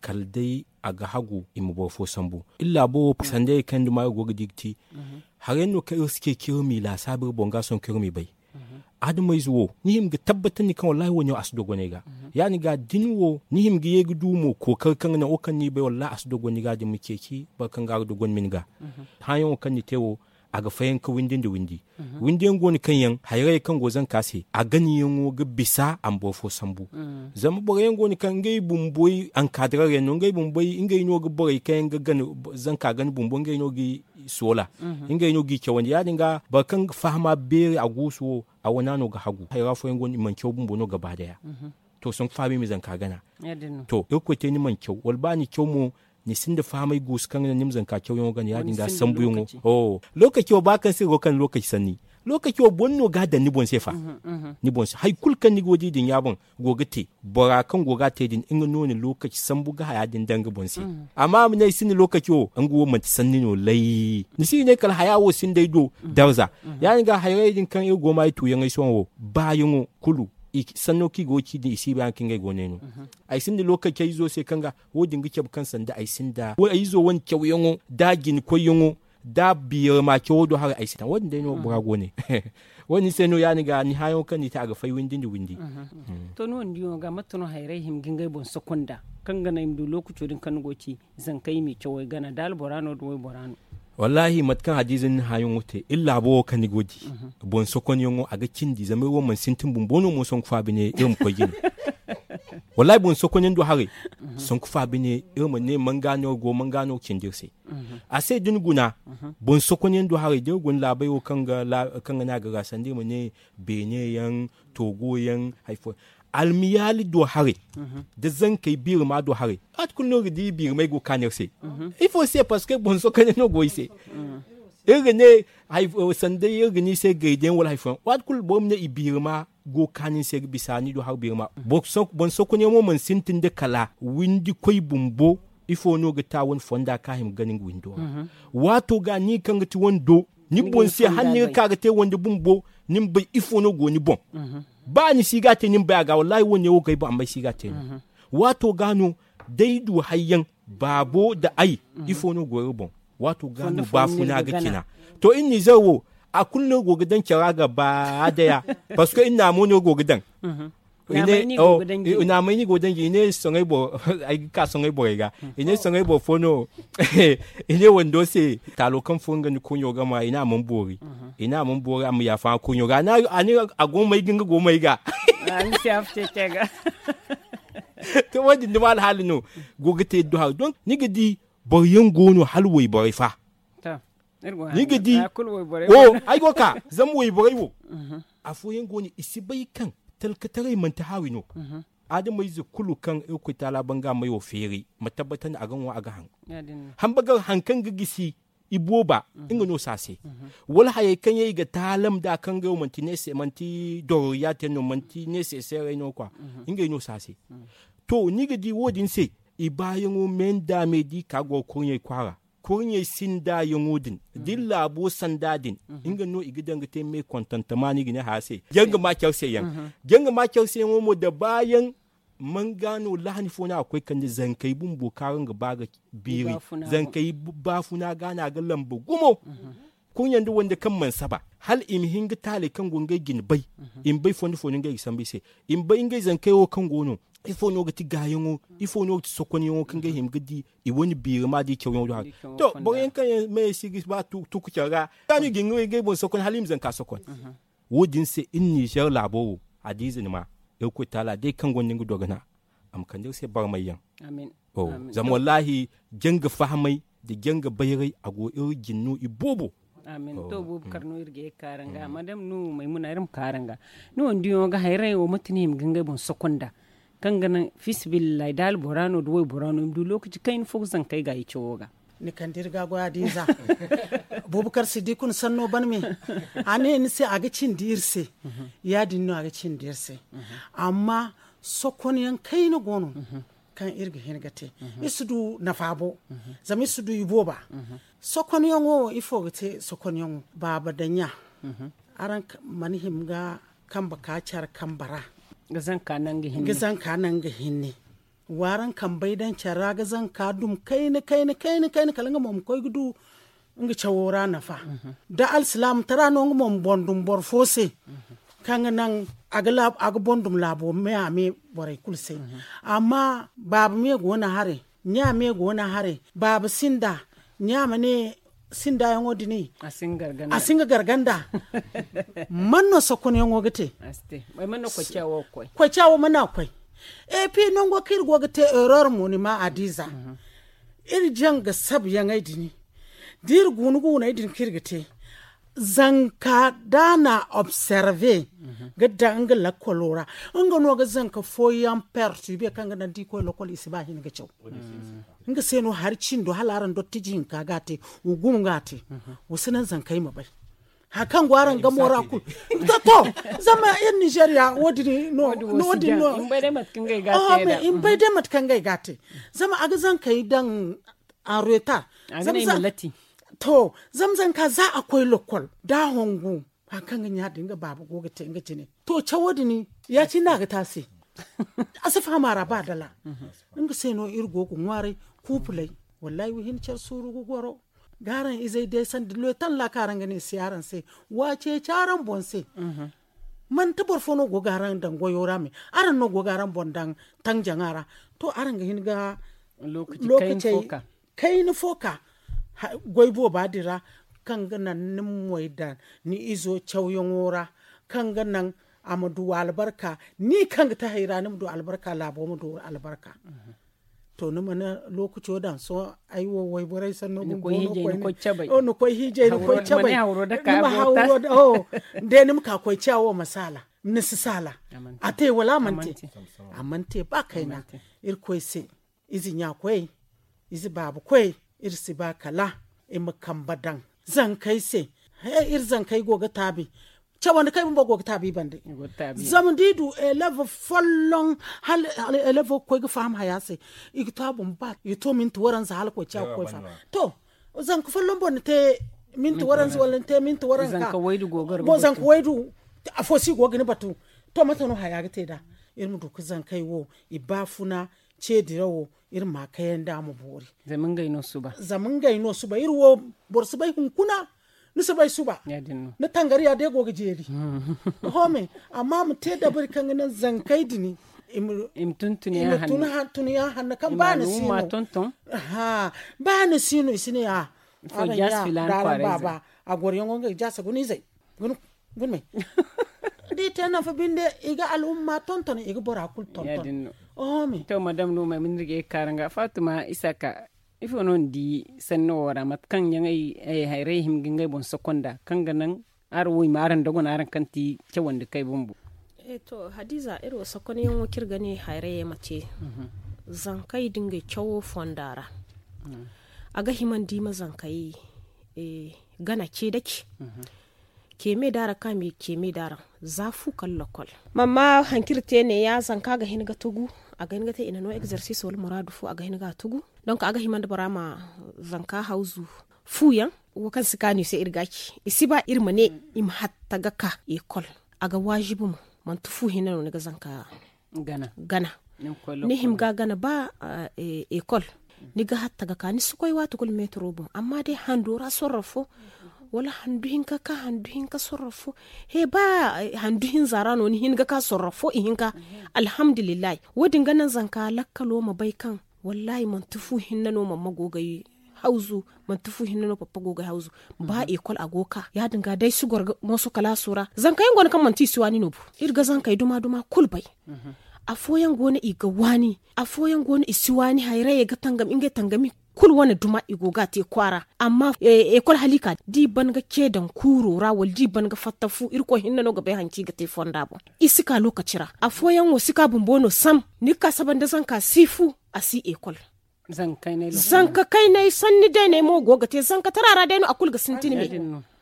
kala day a ga hagu i ma boro fo sambu. Iri laabo wo sanda iri kaŋ duma iri go ga di ga ti. Haray no kaŋ iri si ceeci iri m'i laasaabu iri boŋ ga sohõ kaŋ iri m'i bay. Adamayze wo ni hima ga tabbatandi kaŋ wallahi wo- ne wo a si dogonay ga. Ya- din ga da ni wo ni hima ga ye ga du mo kookari kaŋ ga naŋ wo kaŋ ni bay wallahi a si dogonay ga da ni ma ceeci boro kaŋ ga ga dogonay ma ni ga. Hããyaŋo kaŋ ni te wo a ga fayanka windi nda windi. Windi yaŋ go no kaŋ yaŋ hayrayey kaŋ go zanka se a ganayaŋo ga bisa a ma boro fo sambu. Zama boro yaŋ go no kaŋ ngey bumboy ankaadiraŋ yaŋ no ngey bumboy ngey no ga borey kaŋ yaŋ ga gana zanka gana bumbo ngey no ga i soola. Ngey no ga i cawandi ya- din ga boro kaŋ ga fahama beeri a guusu wo a wana no ga hagu hayra fooyaŋ go no i mana caw bumbo no gaba daya. To sanku fahamay ma zanka gana. To irkoy te ni mana caw wala ba ni caw mo ni sinda fahamay guusu kaŋ ga naŋ ni ma zanka cawyaŋo gana ya- din ga sambuyaŋo. Lookaci wo ba kaŋ se iri go ga kande lookaci sanni lookaci wo boro no ga a daŋ ni boŋ se fa. Ni boŋ se hari kulu kaŋ ni go ga di din ya boŋ go ga te bora kaŋ go ga a te din nga no na lookaci sambu ga haya din daŋ nga boŋ se. Amma a ma ne ay sinda lookaci wo nga wo manti sanni no lay. Ni si ga ne kala haya wo sinda ay do darza. Ya- din ga hayrayey din kaŋ iri go ga ma ay tuuyaŋey sohõ wo baayaŋo kulu sanno kaŋ i go ga ci din i si bay hari kaŋ ngey go no ay no. Ay sinda lookaci ay izo se kaŋ ga wo- din ga cabe kaŋ sanda ay sinda ay izo wane cawyaŋo da a jina koyyaŋo da a biirama cawo do haray ay sinda wo- din day no bora go ne. Wo- din se no ya- din ga ni hããyaŋo kaŋ ni te a ga fay windi nda windi. To ni wane diyaŋo ga mate no hayray hima ga ngey boŋ sokon nd'a kaŋ ga naŋ i ma du lookaco din kaŋ ni go ga ci zankey m'i cawey gana da albora no da waybora no? Wallaahi mate kaŋ hadiiza ni na hããyaŋo te iri laabo wo kaŋ ni go ga di boŋ sokonyaŋo a ga cindi zama iri wo mana sintin bumbo no mo sanku fa bine iri ma koy jine. Wallaahi boŋ sokonyaŋ do haray sanku fa bine iri ma ne manga no go manga no ga cindi iri se. A se da ni guna boŋ sokonyaŋ do haray da iri guna laabey wo kaŋ ga ne a ga ra sanda iri ma ne beene yaŋ toogo yaŋ hari fooyaŋ almiyaali do haray da zankey biirama do haray. Waati kulu no iri ga di biiramey go ga kaanu iri se ifo se parceque boŋ sokonyaŋ no go iri se. Iri ga ne sanda iri ga ne i se gaydiyaŋ wala hari fooyaŋ waati kulu boro ma ne i biirama go ga kaanu ni se ga bisa ni du hari beeri ma. Boro sokonyaŋo mana sintin nda kala windi koy bumbo. Ifo no ga ta wane fonda kaŋ a hima ga gana nga windo ra? Waato ga ni kaŋ ga ti wando ni boŋ se hala ni ga ka ga te wando bumbo, ni ma bay ifo no go ni boŋ. Ba ni si ga a te ni ma bay a ga wallaahi wane wo ga ay boŋ amma ay si ga a te no. Waato ga no day du hayyaŋ baabo nda ay, ifo no go iri boŋ? Waato ga no baafuna ga cina. To iri nizer wo, a kulu no go ga daŋ care a ga ba a daya. Parceque iri naamo no go ga daŋ. Naamay ni go ga daŋ ji i ne soŋay boro ay ga ka soŋay borey ga. I ne soŋay boro fo no. I ne wando se taalo kaŋ furo nga ni kurɲo ga ma i ne a mana boori. I ne a mana boori a ma yaafa nga kurɲo ga a ne a go ga may ga nga go ga may ga. To wo- din duma alhaali no go ga te iri do hari donc ni ga di boro yaŋ go no hala wayborey fa. Ni ga di ay go ga ka zama wayborey wo afooyaŋ go no i si bay kaŋ talkataray manti haawi no. Adamayze kulu kaŋ irkoy taala ban ga a may wo feeri ma tabbatandi a ga ŋwa a ga haŋ. Hambagar hari kaŋ ga gisi ibooba nga no si a se. Wala hayey kaŋ yaŋ i ga taalam nd'a kaŋ ngey wo manti dororiya te no manti neeseseerey no kwa. Ngey no si a se. To ni ga di wo- din se i baayaŋo me nda me da i ka goro kurɲey kwaara. Kurɲey sinda yaŋo din da iri laabo sanda din, nga no i ga daŋ ga te me kontantama no i ga ne haya se. Jaŋ ga ma care se yaŋ. Jaŋ ga ma care se yaŋo mo nda baayaŋ. Manga no lahani fo no a ga koy kande zankey bumbo kaŋ araŋ ga ba ga biiri. Zankey baafuna ga no a ga lamba gumo. Kurɲe nda wande kaŋ mana saba hala i ma hin ga taaley kaŋ go ngey jine bay. I ma bay fondo fondo ngey ga sambu i se. I ma bay ngey zankey wo kaŋ go no ifo no ga ti gaayaŋo? Ifo no ga ti sokonyaŋo kaŋ ga hima ga di i wane biiri ma da i cawyaŋo do haray. To boro yaŋ kaŋ yaŋ me si ga ba tuku care ra. Kaanu i ga hin ga ngey boŋ sokon hala i ma zanka sokon. Wo- din se iri nizer laabo wo a da ize ni ma irkoy taala day kaŋ gonda nga dogana a ma kande iri se barmay yaŋ. Zama wallaahi janga fahamay nda janga bayray a go iri jine no iboobo. Amin. To boobo kar no iri ga ye ga ka araŋ ga madam no maymuna iri ma ka araŋ ga. Ni wo ni diyaŋo ga hayray wo mate no i ma ga ngey boŋ sokon nd'a kaŋ ga naŋ fiisabilillahi da albora no nda waybora no i ma du lookaci kayna fo ga zankey ga i cawo ga. Ni kande iri ga goy a da iza. Boobo kar si di kuna sanno ban me. A ne ni se a ga cindi iri se. Ya- din no a ga cindi iri se. Amma sokonyaŋ kayna go no kaŋ iri ga hin ga te. Iri si du nafa bo. Zama iri si du ibooba. Sokonyaŋo wo ifo ga te sokonyaŋo? Baaba nda ɲa. Araŋ mana hima ga kambe ka care kambe ra ga zanka naŋ ga hinne. Wa araŋ kambey daŋ care ra ga zanka dum kayna kayna kayna kala nga mo ma koy ga du nga cawo ra nafa. Da alsilaamataray no nga mo ma boŋ dum boro fo se kaŋ ga naŋ a ga boŋ dum laabo me a me borey kulu se. Amma baaba me go no haray ɲa me go no haray baaba sinda ɲa ma ne sindayaŋo din a si nga garganda. Man no sokonyaŋo ga te? Koyca wo mana koy. Epi nango kaŋ iri go ga te erreur mo ni ma a diiza. Iri jaŋ ga sabuyaŋey din da iri guuna guuney din kaŋ iri ga te zanka da a na observe ga daŋ nga lakkolo ra. Nga no ga zanka fooyaŋ perturbe kaŋ ga naŋ da i koy lakkol i si ba hin ga caw. Nga se no hari cindo hala araŋ dottiji hinka ga a te. Wa gumo ga a te. Wa si naŋ zankey ma bay hari kaŋ go araŋ gamo ra kulu. To zama iri nizeeriya wo- din no. I ma bay day mate kaŋ ga ay ga a te. Zama a ga zankey daŋ en retard. To zama zanka za a koy lakkol da a hongu hari kaŋ ga ɲa din nga baaba go ga te nga jine. To cawo din ya- cine no a ga te a se. A si faham a ra ba dala. Nga se no iri go ga ŋwaaray kuupuley. Wallaahi wa hin care suuru ga goro ga araŋ izey day sanda loy talla kaŋ araŋ ga ne si araŋ se. Wa ceeci araŋ boŋ se. Manti boro fo no go ga araŋ daŋ goyo ra me araŋ no go ga araŋ boŋ daŋ taŋ jaŋa ra. To araŋ ga hin ga lookacey kayna fo ka goy booba din ra kaŋ ga naŋ ni ma moy daŋ ni izo cawyaŋo ra kaŋ ga naŋ a ma du albarka. Ni kaŋ ga te hayra ni ma du albarka laabo ma du albarka. To ni mana lookaco daŋ sohõ ay wo wayborey sanno bumbo no koyne. Ni koy hiijay ni koy cabay ni ma hawro da ka koy cawo ma saala ni si saala. A te wala a mana te? A mana te ba kayna. Irkoy se ize ɲa koyey ize baaba koyey iri si ba kala i ma kambe daŋ zankey se. He iri zankey go ga taabi Cawandi kay bumbo go ga taabi bande. Zama da i du elef folloŋ, hala elef ga koy ga faham haya se. I ga to a boŋ ba i ga to minti waranza hala koy ciya ga koy faham. To, zanka folloŋ boŋ ni te minti waranza wala ni te minti waranza ka zanka waydu. Afo si go ga ni batu. To mate no haya ga te da? Iri ma du ga zankey wo i ba funa. Ce dirawo iri ma kayandi a ma boori. Zama ngey no suba. Iri wo boro si bay hunkuna. Ni si bay suba. Ni tangari ya day go ga jeeri. Home. Amma a ma te dabari kaŋ ga naŋ zankey dini i ma tun tuniya hanna kaŋ ba ni si no. Ba ni si no i si ne a. Araŋ ya da araŋ baaba. A goro yaŋo ngey jaasa guna izey. Guna me. Da i te nafa binde i ga al'umma tonton i ga bora kulu tonton. Oho me. To madam no may ma ni ga ye ga kaara nga fatima isaka. Ifo no ni di sanni wo ra mate kaŋ yaŋ ay hayray hima ga ngey boŋ sokonda kaŋ ga naŋ araŋ wo i ma araŋ dogon araŋ kaŋ ti cawandi kay bumbo. To hadiza iri wo sokonyaŋo kaŋ iri ga ne hayray ma te. Zankey da ngey cawo fonda ra a ga hima ni di ma zankey gana ce dake. Keme daara ka me keme daara za fu kala lokol. Mamma haŋ kaŋ iri te ne ya zanka ga hin ga tugu a ga hin ga te i na no egzersis wala muraadu fo a ga hin ga a tugu. Donk a ga hima nda bora ma zanka hawzu fuyaŋ wo kaŋ si kaanu i se iri ga ci i si ba iri ma ne i ma hatta ga ka ekol. A ga waajibi mo manti fu hinne no ni ga zanka gana. Ni hima ga gana ba ekol ni ga hatta ga ka ni si koy waati kulu metero boŋ amma day hando ra sorro fo wala handu hinka ka handu hinka sorro fo. He ba handu hinza ra no ni hin ga ka sorro fo ihinka. Alhamdulillahi. Wo- din ga naŋ zanka lakkalo ma bay kaŋ wallahi manti fu hinne no mamma go ga ay hawzu. Manti fu hinne no pappa go ga ay hawzu. Ba ekol a go ga ka ya- din ga day si goro ga mooso kalaaso ra zanka yaŋ go no kaŋ manti i si waani no bo. Iri ga zankey duma duma kulu bay. Afooyaŋ go no i ga waani. Afooyaŋ go no i si waani hayrayey ga tangam ngey tangami kulu wane duma i go ga a te kwaara. Amma ekol hala i ka da i ban ga ce daŋ kuuro ra wala da i ban ga fatta fu irkoy hinne no ga bay hari kaŋ i ga te fonda boŋ. I si ka lookaci ra afooyaŋ wo si ka bumbo no sam. Ni ga ka saba nda zanka si fu a si ekol. Zanka kaynay sanni day no ay mo go ga te zanka tara ra day no a kulu ga sintin me.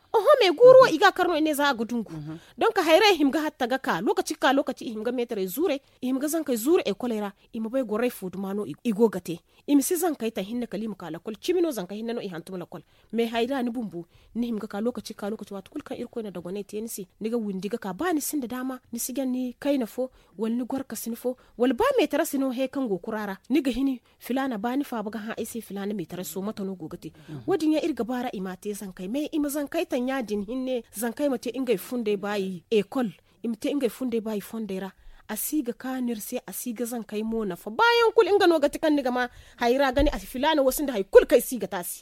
Oho me guuru wo i ga a kar no i ne za a ga dungu. Donk hayrayey hima ga hatta ga ka lookaci ga ka lookaci i hima ga meetarey zuurey i hima ga zankey zuuru ekoley ra. I ma bay gorey fo duma no i go ga te. I ma si zankey taŋ hinne kala i ma ka lakkol cimi no zanka hinne no i hantum lakkol. Me hayra ni bumbo ni hima ga ka lookaci ga ka lookaci waati kulu kaŋ irkoy na dogonay te ni se ni ga windi ga ka ba ni sinda daama ni si jaŋ ni kayna fo wala ni gorkasina fo wala ba meetarasi no he kaŋ go kura ra ni ga hini filaana ba ni faaba ga hã ay se filaana meetaraso mate no go ga te. Wo- din yaŋ iri ga baara i m'a te zankey me i ma zankey taŋ ya- din hinne zankey ma te ngey fundey baayi ekol. I ma te ngey fundey baayi fondey ra. A si ga kaanu iri se a si ga zankey mo nafa baayaŋ kulu nga no ga ti kaŋ ni ga ma hayra ga ne a filaana wo sinda hari kulu kaŋ ay si ga te a se.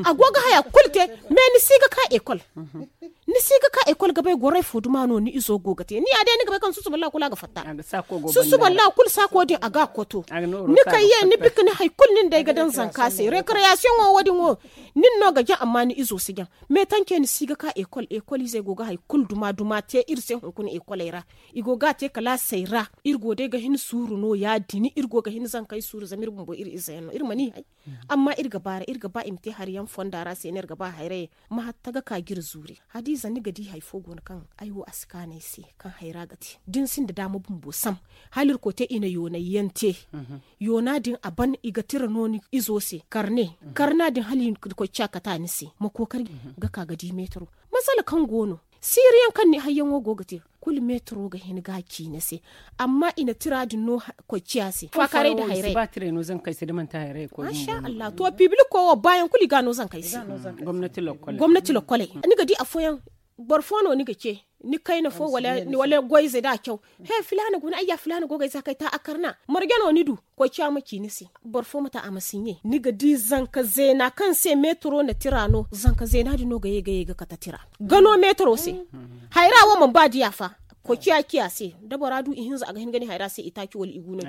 A go ga haya kulu te. Me ni si ga ka ekol. Ni si ga ka ekol ga bay gorey fo duma no ni izo go ga te ni ya day ni ga bay kaŋ susuba laakul a ga fatta. Susuba laakul saako din a ga a koto. Ni kay ye ni bika ni hari kulu nin day ga daŋ zanka se rekreyasiyoŋo wo- din wo. Nin no ga jaŋ amma ni izo si jaŋ. Me tance ni si ga ka ekol ekol izey go ga hari kulu duma duma te iri se hunkuna ekoley ra. I go ga a te kalaasey ra. Iri go day ga hin suuru no ya- din iri go ga hin zankey suuru zama iri bumbo iri ize yaŋ no iri mana i hay. Amma iri ga baara iri ga ba i ma te hari yaŋ fonda ra se no iri ga ba hayrayey. Ma hatta ga ka ga iri zuuri hadiiza ni ga di hari fo go no kaŋ ay wo a si kaanu ay se. Kaŋ hayra ga te da ni sinda daama bumbo sam hala irkoy te i na yoonay yaŋ te. Yoona din a ban i ga tira no ni izo se karne karna din hala i na koy ciya kate a ni se ma kookari ga ka ga di meetaro. Masala kaŋ go no siiri yaŋ kaŋ ni hayyaŋo go ga te kulu meetaro ga hin ga a ci ni se. Amma i na tira din no koy ciya se faakaaray nda hayray. Masha allah to pibiliko wo baayaŋ kulu i ga a no zankey se. Gomnati lokkoley ni ga di afooyaŋ boro fo no ni ga ce ni kayna fo wala goyze da a caw. He filaana guna ayya filaana go ga ay za kay ta a karna marje no ni du. Koy ciya ma ci ni se boro fo ma ta a ma siɲe ni ga di zanka zeena kaŋ se meetaro na tira no zanka zeena din no ga ye ga ye ga kate tira. Gano meetaro se hayra wo mana ba diya fa. Koy ciya ciya se da bora du ihinza a ga hin ga ne hayra se itaaci wala igu no.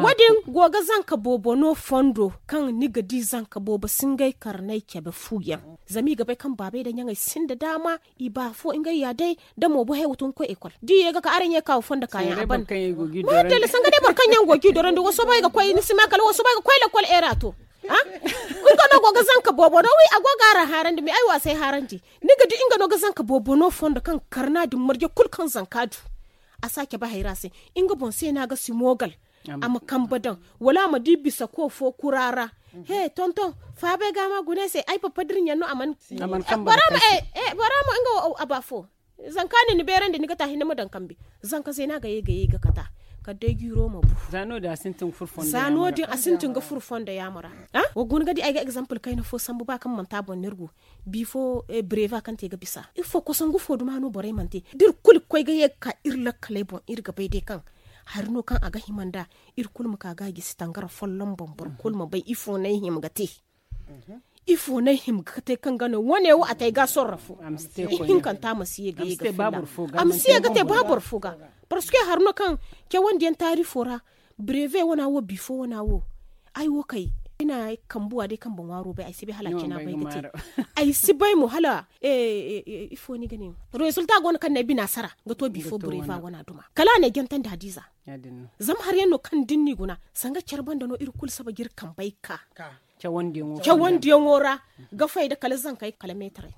Wo- din go ga zanka boobo no fondo kaŋ ni ga di zanka boobo si ngey karney cabe fu yaŋ. Zama i ga bay kaŋ baabey nda ɲaŋey sinda daama i ba afo ngey ya day. Da mo bo he wo tun ga koy ekol da i ye ga ka araŋ ye ga ka wa fondo kaayaŋ a ban. Moodele sanga day boro kaŋ yaŋ go ga i dorandi wasoobay ga koy ni si ma kala wasoobay ga koy lakkol eera to. Nga no go ga zanka boobo no wi a go ga araŋ haarandi me ay wo a si ay haarandi. Ni ga di nga no ga zanka boobo no fondo kaŋ karna din marje kulu kaŋ zanka du. A si a cabe hayra se nga boŋ se no a ga si moogal. A ma kambe daŋ wala a ma di bisa ko fo kura ra. He tonton faabay ga ma gune se ay papa da iri ɲaŋ no a mana. Bora ma nga wo a ba fo. Zanka nin ni beerandi ni ga ta hinne ma daŋ kambe. Zanka zeena ga ye ga ye ga kata kala day jiiro ma bu. Za no- din a sintin ga furo fondo yaamo ra. Wa guna ga di ay ga egzampil kayna fo sambu ba kaŋ manti a boŋ no iri go. Bifo breva kaŋ te ga bisa ifo kosangu fo duma no borey mana te da iri kulu ga koy ga ye ga ka iri lakkaley boŋ iri ga bay day kaŋ hari no kaŋ a ga hima nd'a. Iri kulu ma ka ga a gisi tangara folloŋ boŋ boro kulu ma bay ifo no ay hima ga te. Ifo no ay hima ga te kaŋ ga no wane wo a te ay ga sorro fo. Ihinkanta a ma si ye ga ye ga filla a ma si ye ga te ba boro fo ga. Parceque hari no kaŋ cawandi yaŋ taari fo ra breve wana wo bifo wana wo. Ay wo kay ay na ay kambuwa day kaŋ boŋ waaro bay ay si bay hala a cina bay ga te. Ay si bay mo hala ifo ni ga ne rezulta go no kaŋ na ay bina sara ga to bifo breve wana duma kala a na ay gantandi hadiza. Zama hari yaŋ no kaŋ da ni n'i guna sanga care banda no iri kulu saba ga iri kambey ka cawandiyaŋo ra ga fayda kala zankey kala meetaray.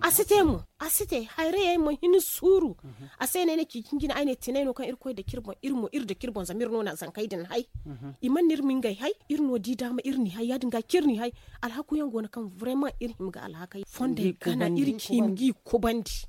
A si te mo a si te hayrayey ma hin suuru. A se no ay na ci jinjina ay ne tinay no kaŋ irkoy dake iri boŋ iri mo iri dake iri boŋ zama iri no na zankey din hay. I mana iri ma ngey hay iri no di daama iri n'i hay ya- din ga kaŋ iri n'i hay. Alhaku yaŋ go no kaŋ vrema iri hima ga alhakey fondey gana iri hima g'i kubandi.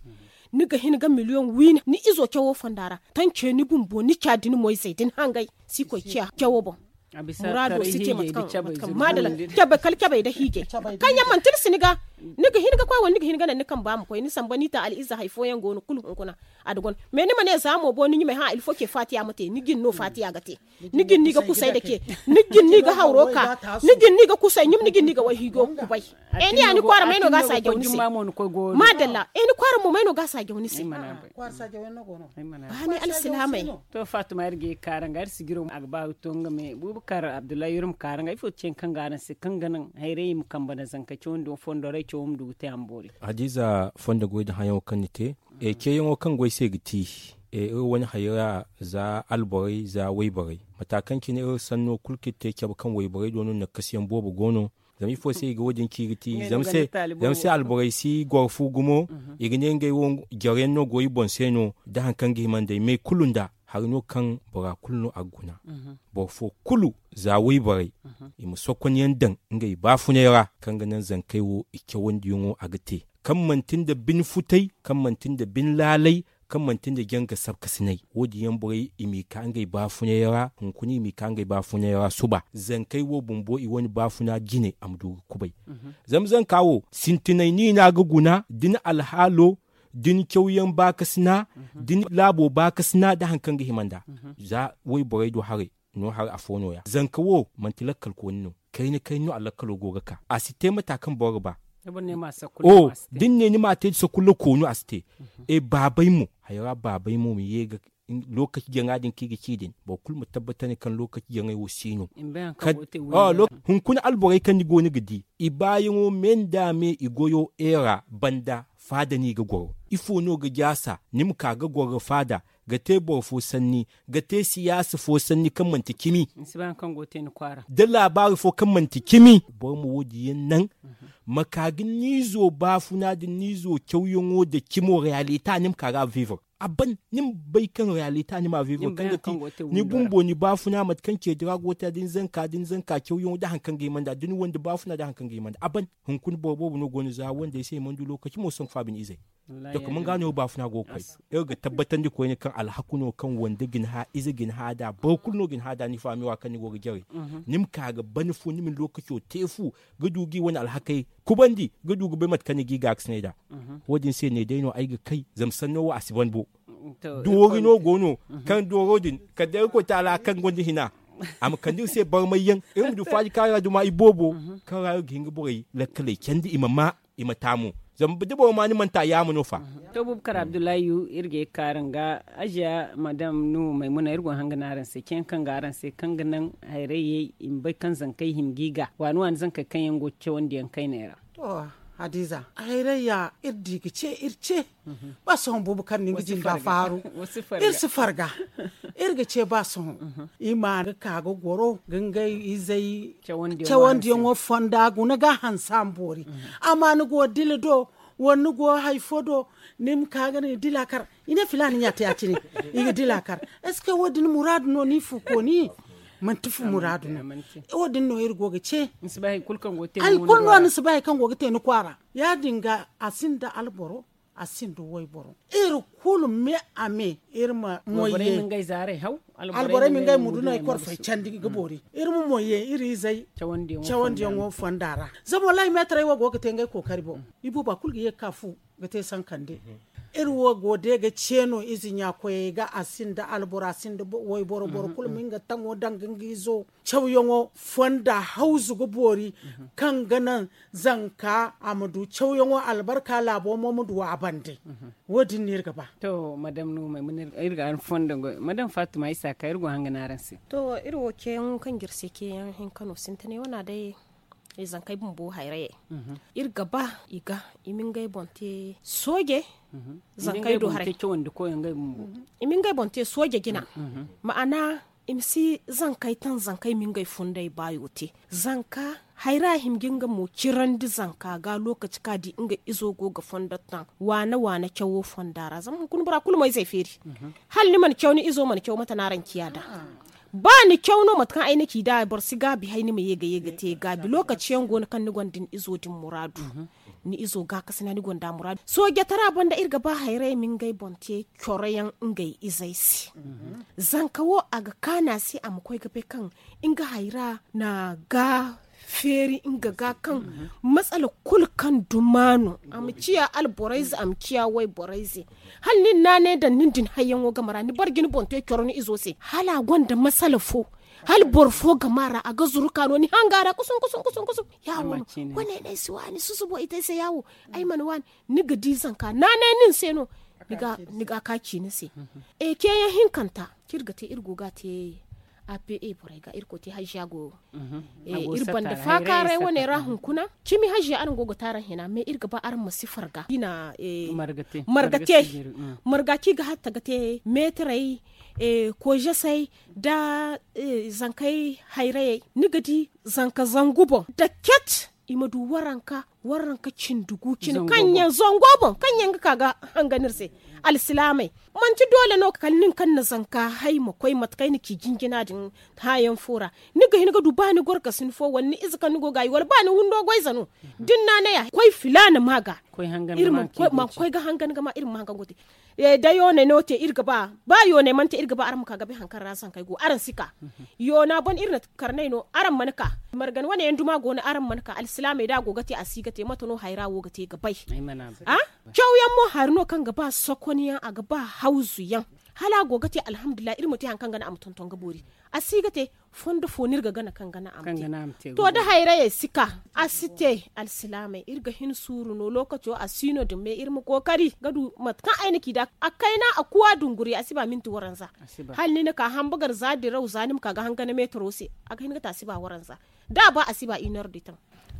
Ni ga hin ga miliyoŋ wiine ni izo cawo fonda ra. Tance ni bumbo ni ca da ni moyzey da ni hangey si koy ciya cawo boŋ. Muraado si te mate kaŋ madala. Cabe kala cabey nda hiijey kaŋ yaŋ manti ni si ni ga ni ga hin ga koy wala ni ga hin ga naŋ ni kamba ma koy ni samba ni ta al'iza hari fooyaŋ go no kulu hunkuna. A da guna mais ni ma ne za mo bo ni ɲumay hã ilfo ce faatiya ma te ni jin no faatiya ga te. Ni jin no i ga kusay dake ni jin no i ga hawro ka ni jin no i ga kusay ɲum ni jin no i ga wayhiijo kubay. Eni ya ni kwaara may no ga a saajaw ni se. Madalla eni kwaara mo may no ga a saajaw ni se. Baani alsilaamey. To faatuma iri ga ye ga kaara nga iri sijiro a ga ba ga to nga me buubu kaara abdullahi iri ma kaara nga ifo ti ce ni kaŋ ga araŋ se kaŋ ga naŋ hayray i ma kambe nda zanka cawandi wo fondo ra ay cawo ma du ga te a ma boori. Hadiiza fondo goy nda hayaŋo kaŋ ni te. Ceeyaŋo kaŋ goy se ga ti iri wane hayra za alborey za wayborey mata kaŋ cine iri sanno kulu kaŋ iri te cabe kaŋ wayborey do no nakasiyaŋ boobo go no. Zama ifo se i ga wo- din ci ga ti zama se alborey si goro fu gumo. I ga ne ngey wo jare yaŋ no go i boŋ se no da hari kaŋ ga hima nd'ey me kulu nda hari no kaŋ bora kulu no a ga guna. Boro fo kulu za wayborey i ma sokon yaŋ daŋ ngey baafunay ra kaŋ ga naŋ zankey wo i cawandiyaŋo a ga te kaŋ manti nda bine futay kaŋ manti nda bine laalay kaŋ manti nda janga sabkasinay wo- din yaŋ borey i m'i ka ngey baafunay ra hunkuna i m'i ka ngey baafunay ra suba zankey wo bumbo i wane baafuna jine a ma du ga kubay. Zama zanka wo sintinay ni na ga guna da ni alhaalo da ni cawyaŋ baakasina da ni laabo baakasina nda hari kaŋ ga hima nd'a. Za wayborey do haray no hari afo no- ya zanka wo manti lakkal kooni no. Kayna kayna no a lakkalo go ga ka a si te mata kaŋ boro ga ba. Da ni ne ni m'a te da sakulla koonu a si te. E baabay mo hayra baabay mo ma ye ga lookaci jaŋa din kaŋ i ga ci din boro kulu ma tabbatandi kaŋ lookaci jaŋay wo si no. Hunkuna alborey kaŋ ni go no ga di i baayaŋo me nda me i goyo eera banda faada no i ga goro ifo no ga jaasa ni ma ka ga goro ga faada ga te boro fo sanni ga te siyaasa fo sanni kaŋ manti cimi da laabaari fo kaŋ manti cimi boro ma wo- din yaŋ naŋ. Ma ka ga ni izo baafuna nda ni izo cawyaŋo nda cimo reyalita ni ma ka ga a viivar a ban ni ma bay kaŋ reyalita ni ma a viivar kaŋ ga ti ni bumbo ni baafuna mate kaŋ ceedi ra go ga te da ni zanka da ni zanka cawyaŋo nda hari kaŋ ga hima nd'a da ni wande baafuna nda hari kaŋ ga hima nd'a a ban. Hunkuna boro boobo no go no za wandey se i mana du lookaci mo sanku faabin izey. Dokuma nga no baafuna go ga koy iri ga tabbatandi koyne kaŋ alhaku no kaŋ wande ga ni hã ize ga ni hã nd'a boro kulu no ga ni hã nd'a ni faami wa kaŋ ni go ga jare. Ni ma ka ga ban fu ni ma ni lookaco te fu ga du ga i wane alhakey kubandi ga du ga bay mate kaŋ ni ga i gaakasinay nd'a. Wo- din se ne day no ay ga kay zama sanno wo a si ban bo. Doori no go no kaŋ dooro din kala day irkoy taala kaŋ gonda hina a ma kande iri se barmay yaŋ iri ma du faaji kaara duma iboobo kaŋ ra iri ga hin ga borey lakkaley candi i ma ma i ma taamu. Zama da boro ma ni mana ta yaama no fa. To bubakar abdullahi iri ga ye ga kaara nga aziya madam nuhu maymuna iri go hanga no araŋ se ceeyaŋ kaŋ ga araŋ se kaŋ ga naŋ hayray yay i ma bay kaŋ zankey hima ga i ga waani waani zankey kaŋ yaŋ go ga cawandiyaŋ kayney ra. To Hadiza, hayray ya iri di ga ce iri ce. Ba sohõ buubu kaŋ ni ga jinda faaru. Iri si farga. Iri ga ce ba sohõ. I ma ga ka ga goro ga ngey izey cawandiyaŋo fonda guna ga hansa ma boori. Amma ni go dila do, wala ni go hari fo do, ni ma ka ga ni dila kar. I ne filaani ɲa te ya- cine. I ga dila kar. Est-ce que wo- din muraadu no ni fu kooni? Manti fu muraadu no. Wo- din no iri go ga ce. Hari kulu no ni si bay hari kaŋ go ga te ni kwaara. Ya- din ga a sinda alboro, a sinda wayboro. Iri kulu me a me iri ma moy ye. Alborey ma ngey muduney korfey candi ga boori. Iri ma moy ye iri izey cawandiyaŋo fonda ra. Zama wallahi meetarey wo go ga te ngey kookari boŋ. Ibuuba kulu ga ye ga ka fu ga te sankande. Iri wo go day ga ce no ize ɲa koyey ga a sinda alboro a sinda wayboro boro kulu ma nga taŋo daŋ ga nga izo cawyaŋo fonda hawzu ga boori, kaŋ ga naŋ zanka a ma du cawyaŋo albarka laabo mo ma du a bande. Wo- din no iri ga ba. To madam no maymuna iri ga araŋ fondo goy madam fatima isa ka iri go hanga no araŋ se. To iri wo ceeyaŋ kaŋ ga iri se ceeyaŋ hinka no sintinay wana day. Zankey bumbo hayrayey iri ga ba i ga i ma ngey boŋ te sooje. Zankey do haray i ma ngey boŋ te sooje jina. Ma'ana i ma si zankey taŋ zankey ma ngey fundey baayo te. Zanka hayra hima ga nga mo cirandi zanka ga lokaci kaŋ a di nga izo go ga fondo taŋ waana waana cawo fonda ra zama hunkuna bora kulu mo izey feeri. Hala ni mana caw ni izo mana caw mate no araŋ ciya nd'a. Ba ni caw no mate kaŋ ay na ci nd'a boro si gaabi hay ni ma ye ga ye ga te gaabi lokaci yaŋ go no kaŋ ni gonda ni izo din muraadu. Ni izo gaakasina ni gonda muraadu soojatara banda iri ga ba hayray ma ngey boŋ te coro yaŋ ngey izey se. Zanka wo a ga kaanu a se a ma koy ga bay kaŋ nga hayra na ga feeri nga ga kaŋ matsala kulu kaŋ duma no a ma ciya alborayze a ma ciya wayborayze. Hala nin naanay daŋ nin din hayyaŋo game ra ni barji ni boŋ te coro ni izo se hala a gonda masala fo. Hala boro fo game ra a ga zuru ka no ni hanga ra kusun kusun kusun kusun. Yawo no wane no ay si waani susubo i te ay se yawo. Ay mana waani ni ga di zanka naanay nin se no. Ni ga ka ci ni se. Ceeyaŋ hinkanta kaŋ iri ga te iri go ga a te a p a borey ga irkoy te hajiya go. Iri banda faakaaray wane ra hunkuna cimi hajiya araŋ go ga te araŋ hina mais iri ga ba araŋ ma si farga i na marga te. Marga kaŋ i ga hatta ga te meetarey koyzasey nda zankey hayrayey ni ga di zanka zangu boŋ da ket i ma du waranka waranka cindi gu cine kaŋ yaŋ zango boŋ kaŋ yaŋ ga ka ga hangan iri se. Alsilaamey manti doole no kala nin kaŋ na zanka hay ma koy mate kaŋ ay na ci jinjina din hããyaŋ fo ra. Ni ga hin ga du ba ni gorkasin fo wala ni ize kaŋ ni go ga a yi wala ba ni windo goyze no da ni naanay a koy filaana ma ga iri ma koy ga hangan ga ma iri ma hangan go te. Da yoonay no te iri ga ba ba yoonay mana te iri ga ba araŋ ma ka ga bay hari kaŋ ra zankey go araŋ si ka. Yoona ban iri na karnay no araŋ mana ka. Margan wane yaŋ duma go no araŋ mana ka alsilaamey da a go ga te a si ga te mate no hayra wo ga te ga bay. Cawyaŋ mo hari no kaŋ ga ba sokonyaŋ a ga ba hawzuyaŋ hala a go ga te alhamdulillahi iri ma te hari kaŋ ga naŋ a ma tonton ga boori. A si ga te fondo fo no iri ga gana kaŋ ga naŋ a ma te. To da hayrayey si ka a si te alsilaamey iri ga hin suuru no lookaco a si no din mais iri ma kookari ga du mate kaŋ ay na ci da a kayna a kuwa dunguri a si ba minti waranza. Hala ni na ka hambagar za diraw za ni ma ka ga hangana meetaro se a ga hin ga te a si ba waranza. Da a ba a si ba inor di taŋ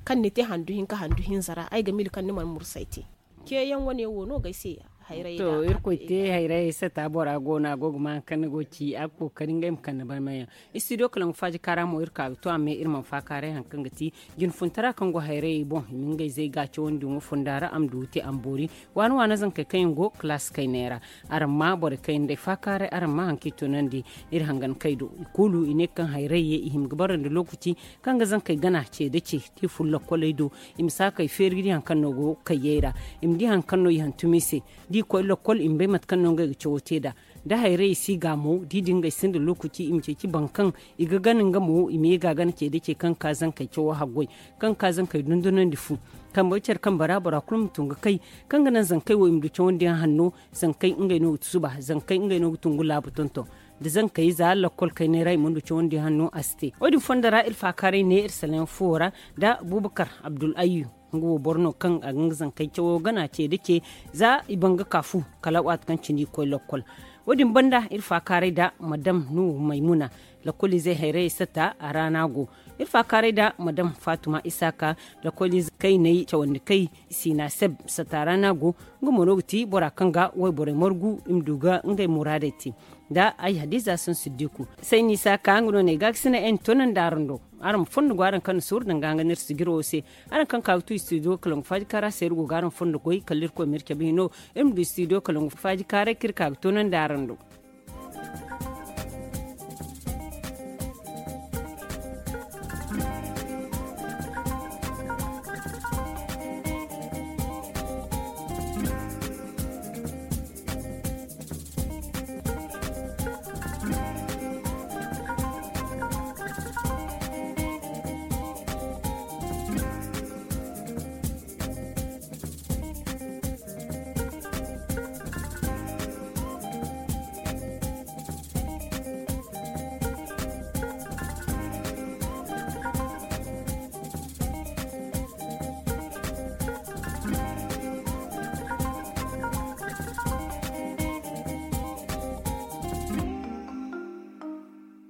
kaŋ ni te handu hinka handu hinza ra ay ga mili kaŋ ni mana mursa ay te. Ceeyaŋ wane wo no ga ay se. Hayray to irkoy te hayray sata bora go no a go ga ma hari kaŋ ni go ga ci a ga kookari ngey ma kande barmayaŋ. Istidiyo kalaŋ ga faaji kaara mo iri ka ga to a me iri mana faakaaray hari kaŋ ga ti jinfuntara kaŋ go hayrayey boŋ i ma ngey zey ga cawandi ŋwa funda ra a ma du ga te a ma boori. Waana waana zankey kaŋ yaŋ go kalaasi kayney ra. Araŋ ma borey kaŋ yaŋ day faakaaray araŋ ma hari kaŋ i toonandi. Iri hangan kay do i kulu i ne kaŋ hayray ye i hima ga barandi lookaci kaŋ ga zankey gana ce nda ce da i furo lokkoley do. I ma si a kay feeri ga di hari kaŋ no go kayyey ra. I ma di hari kaŋ no i hantum i se da i koy lokkol i ma bay mate kaŋ no ngey ga cawo te nd'a. Da hayray i si ga mo da i di ngey sinda lookaci i ma ceeci boro kaŋ i ga gana nga mo i ma ye ga a gana ce da ce kaŋ ga ka zankey cawo haggoy kaŋ ga ka zankey dundunandi fu. Kambe care kambe ra bora kulu ma tun ga kay kaŋ ga naŋ zankey wo i ma du cawandiyaŋ hanno. Zankey ngey no ga suba zankey ngey no ga tun ga laabu tonton da zankey za lakkol kayney ra i mana du cawandi hanno a si te. Wo- din fondo ra iri faakaaray ne iri salaŋ fo ra nda buubakar abdul ayyu. Nga wo boro no kaŋ a ga nga zankey cawo gana ce nda ce za i ban ga ka fu kala waati kaŋ cine i koy lakkol. Wo- din banda iri faakaaray nda madam nuhu maymuna. Lakoliizey hayrayey sata a ra no a go. Iri faakaaray nda madam faatuma isaaka, lakoliize kayney cawandi kay, siina seb sata ra no a go. Nga mo no ga ti bora kaŋ ga wayborey margu i ma du ga ngey muraadey te. Nda ay hadiza sansiddiku, sayni isaaka nga no no ay ga ga sina ay na toonandi araŋ do. Araŋ ma fondo go araŋ kaŋ na suuru danga nga no iri sijiro wo se. Araŋ kaŋ ka ga tu istidiyo kalangu faaji kaara se iri go ga araŋ fondo goy kala irkoy ma iri cabe hino. Iri ma du istidiyo kalangu faaji kaaray kaŋ iri ka ga toonandi araŋ do.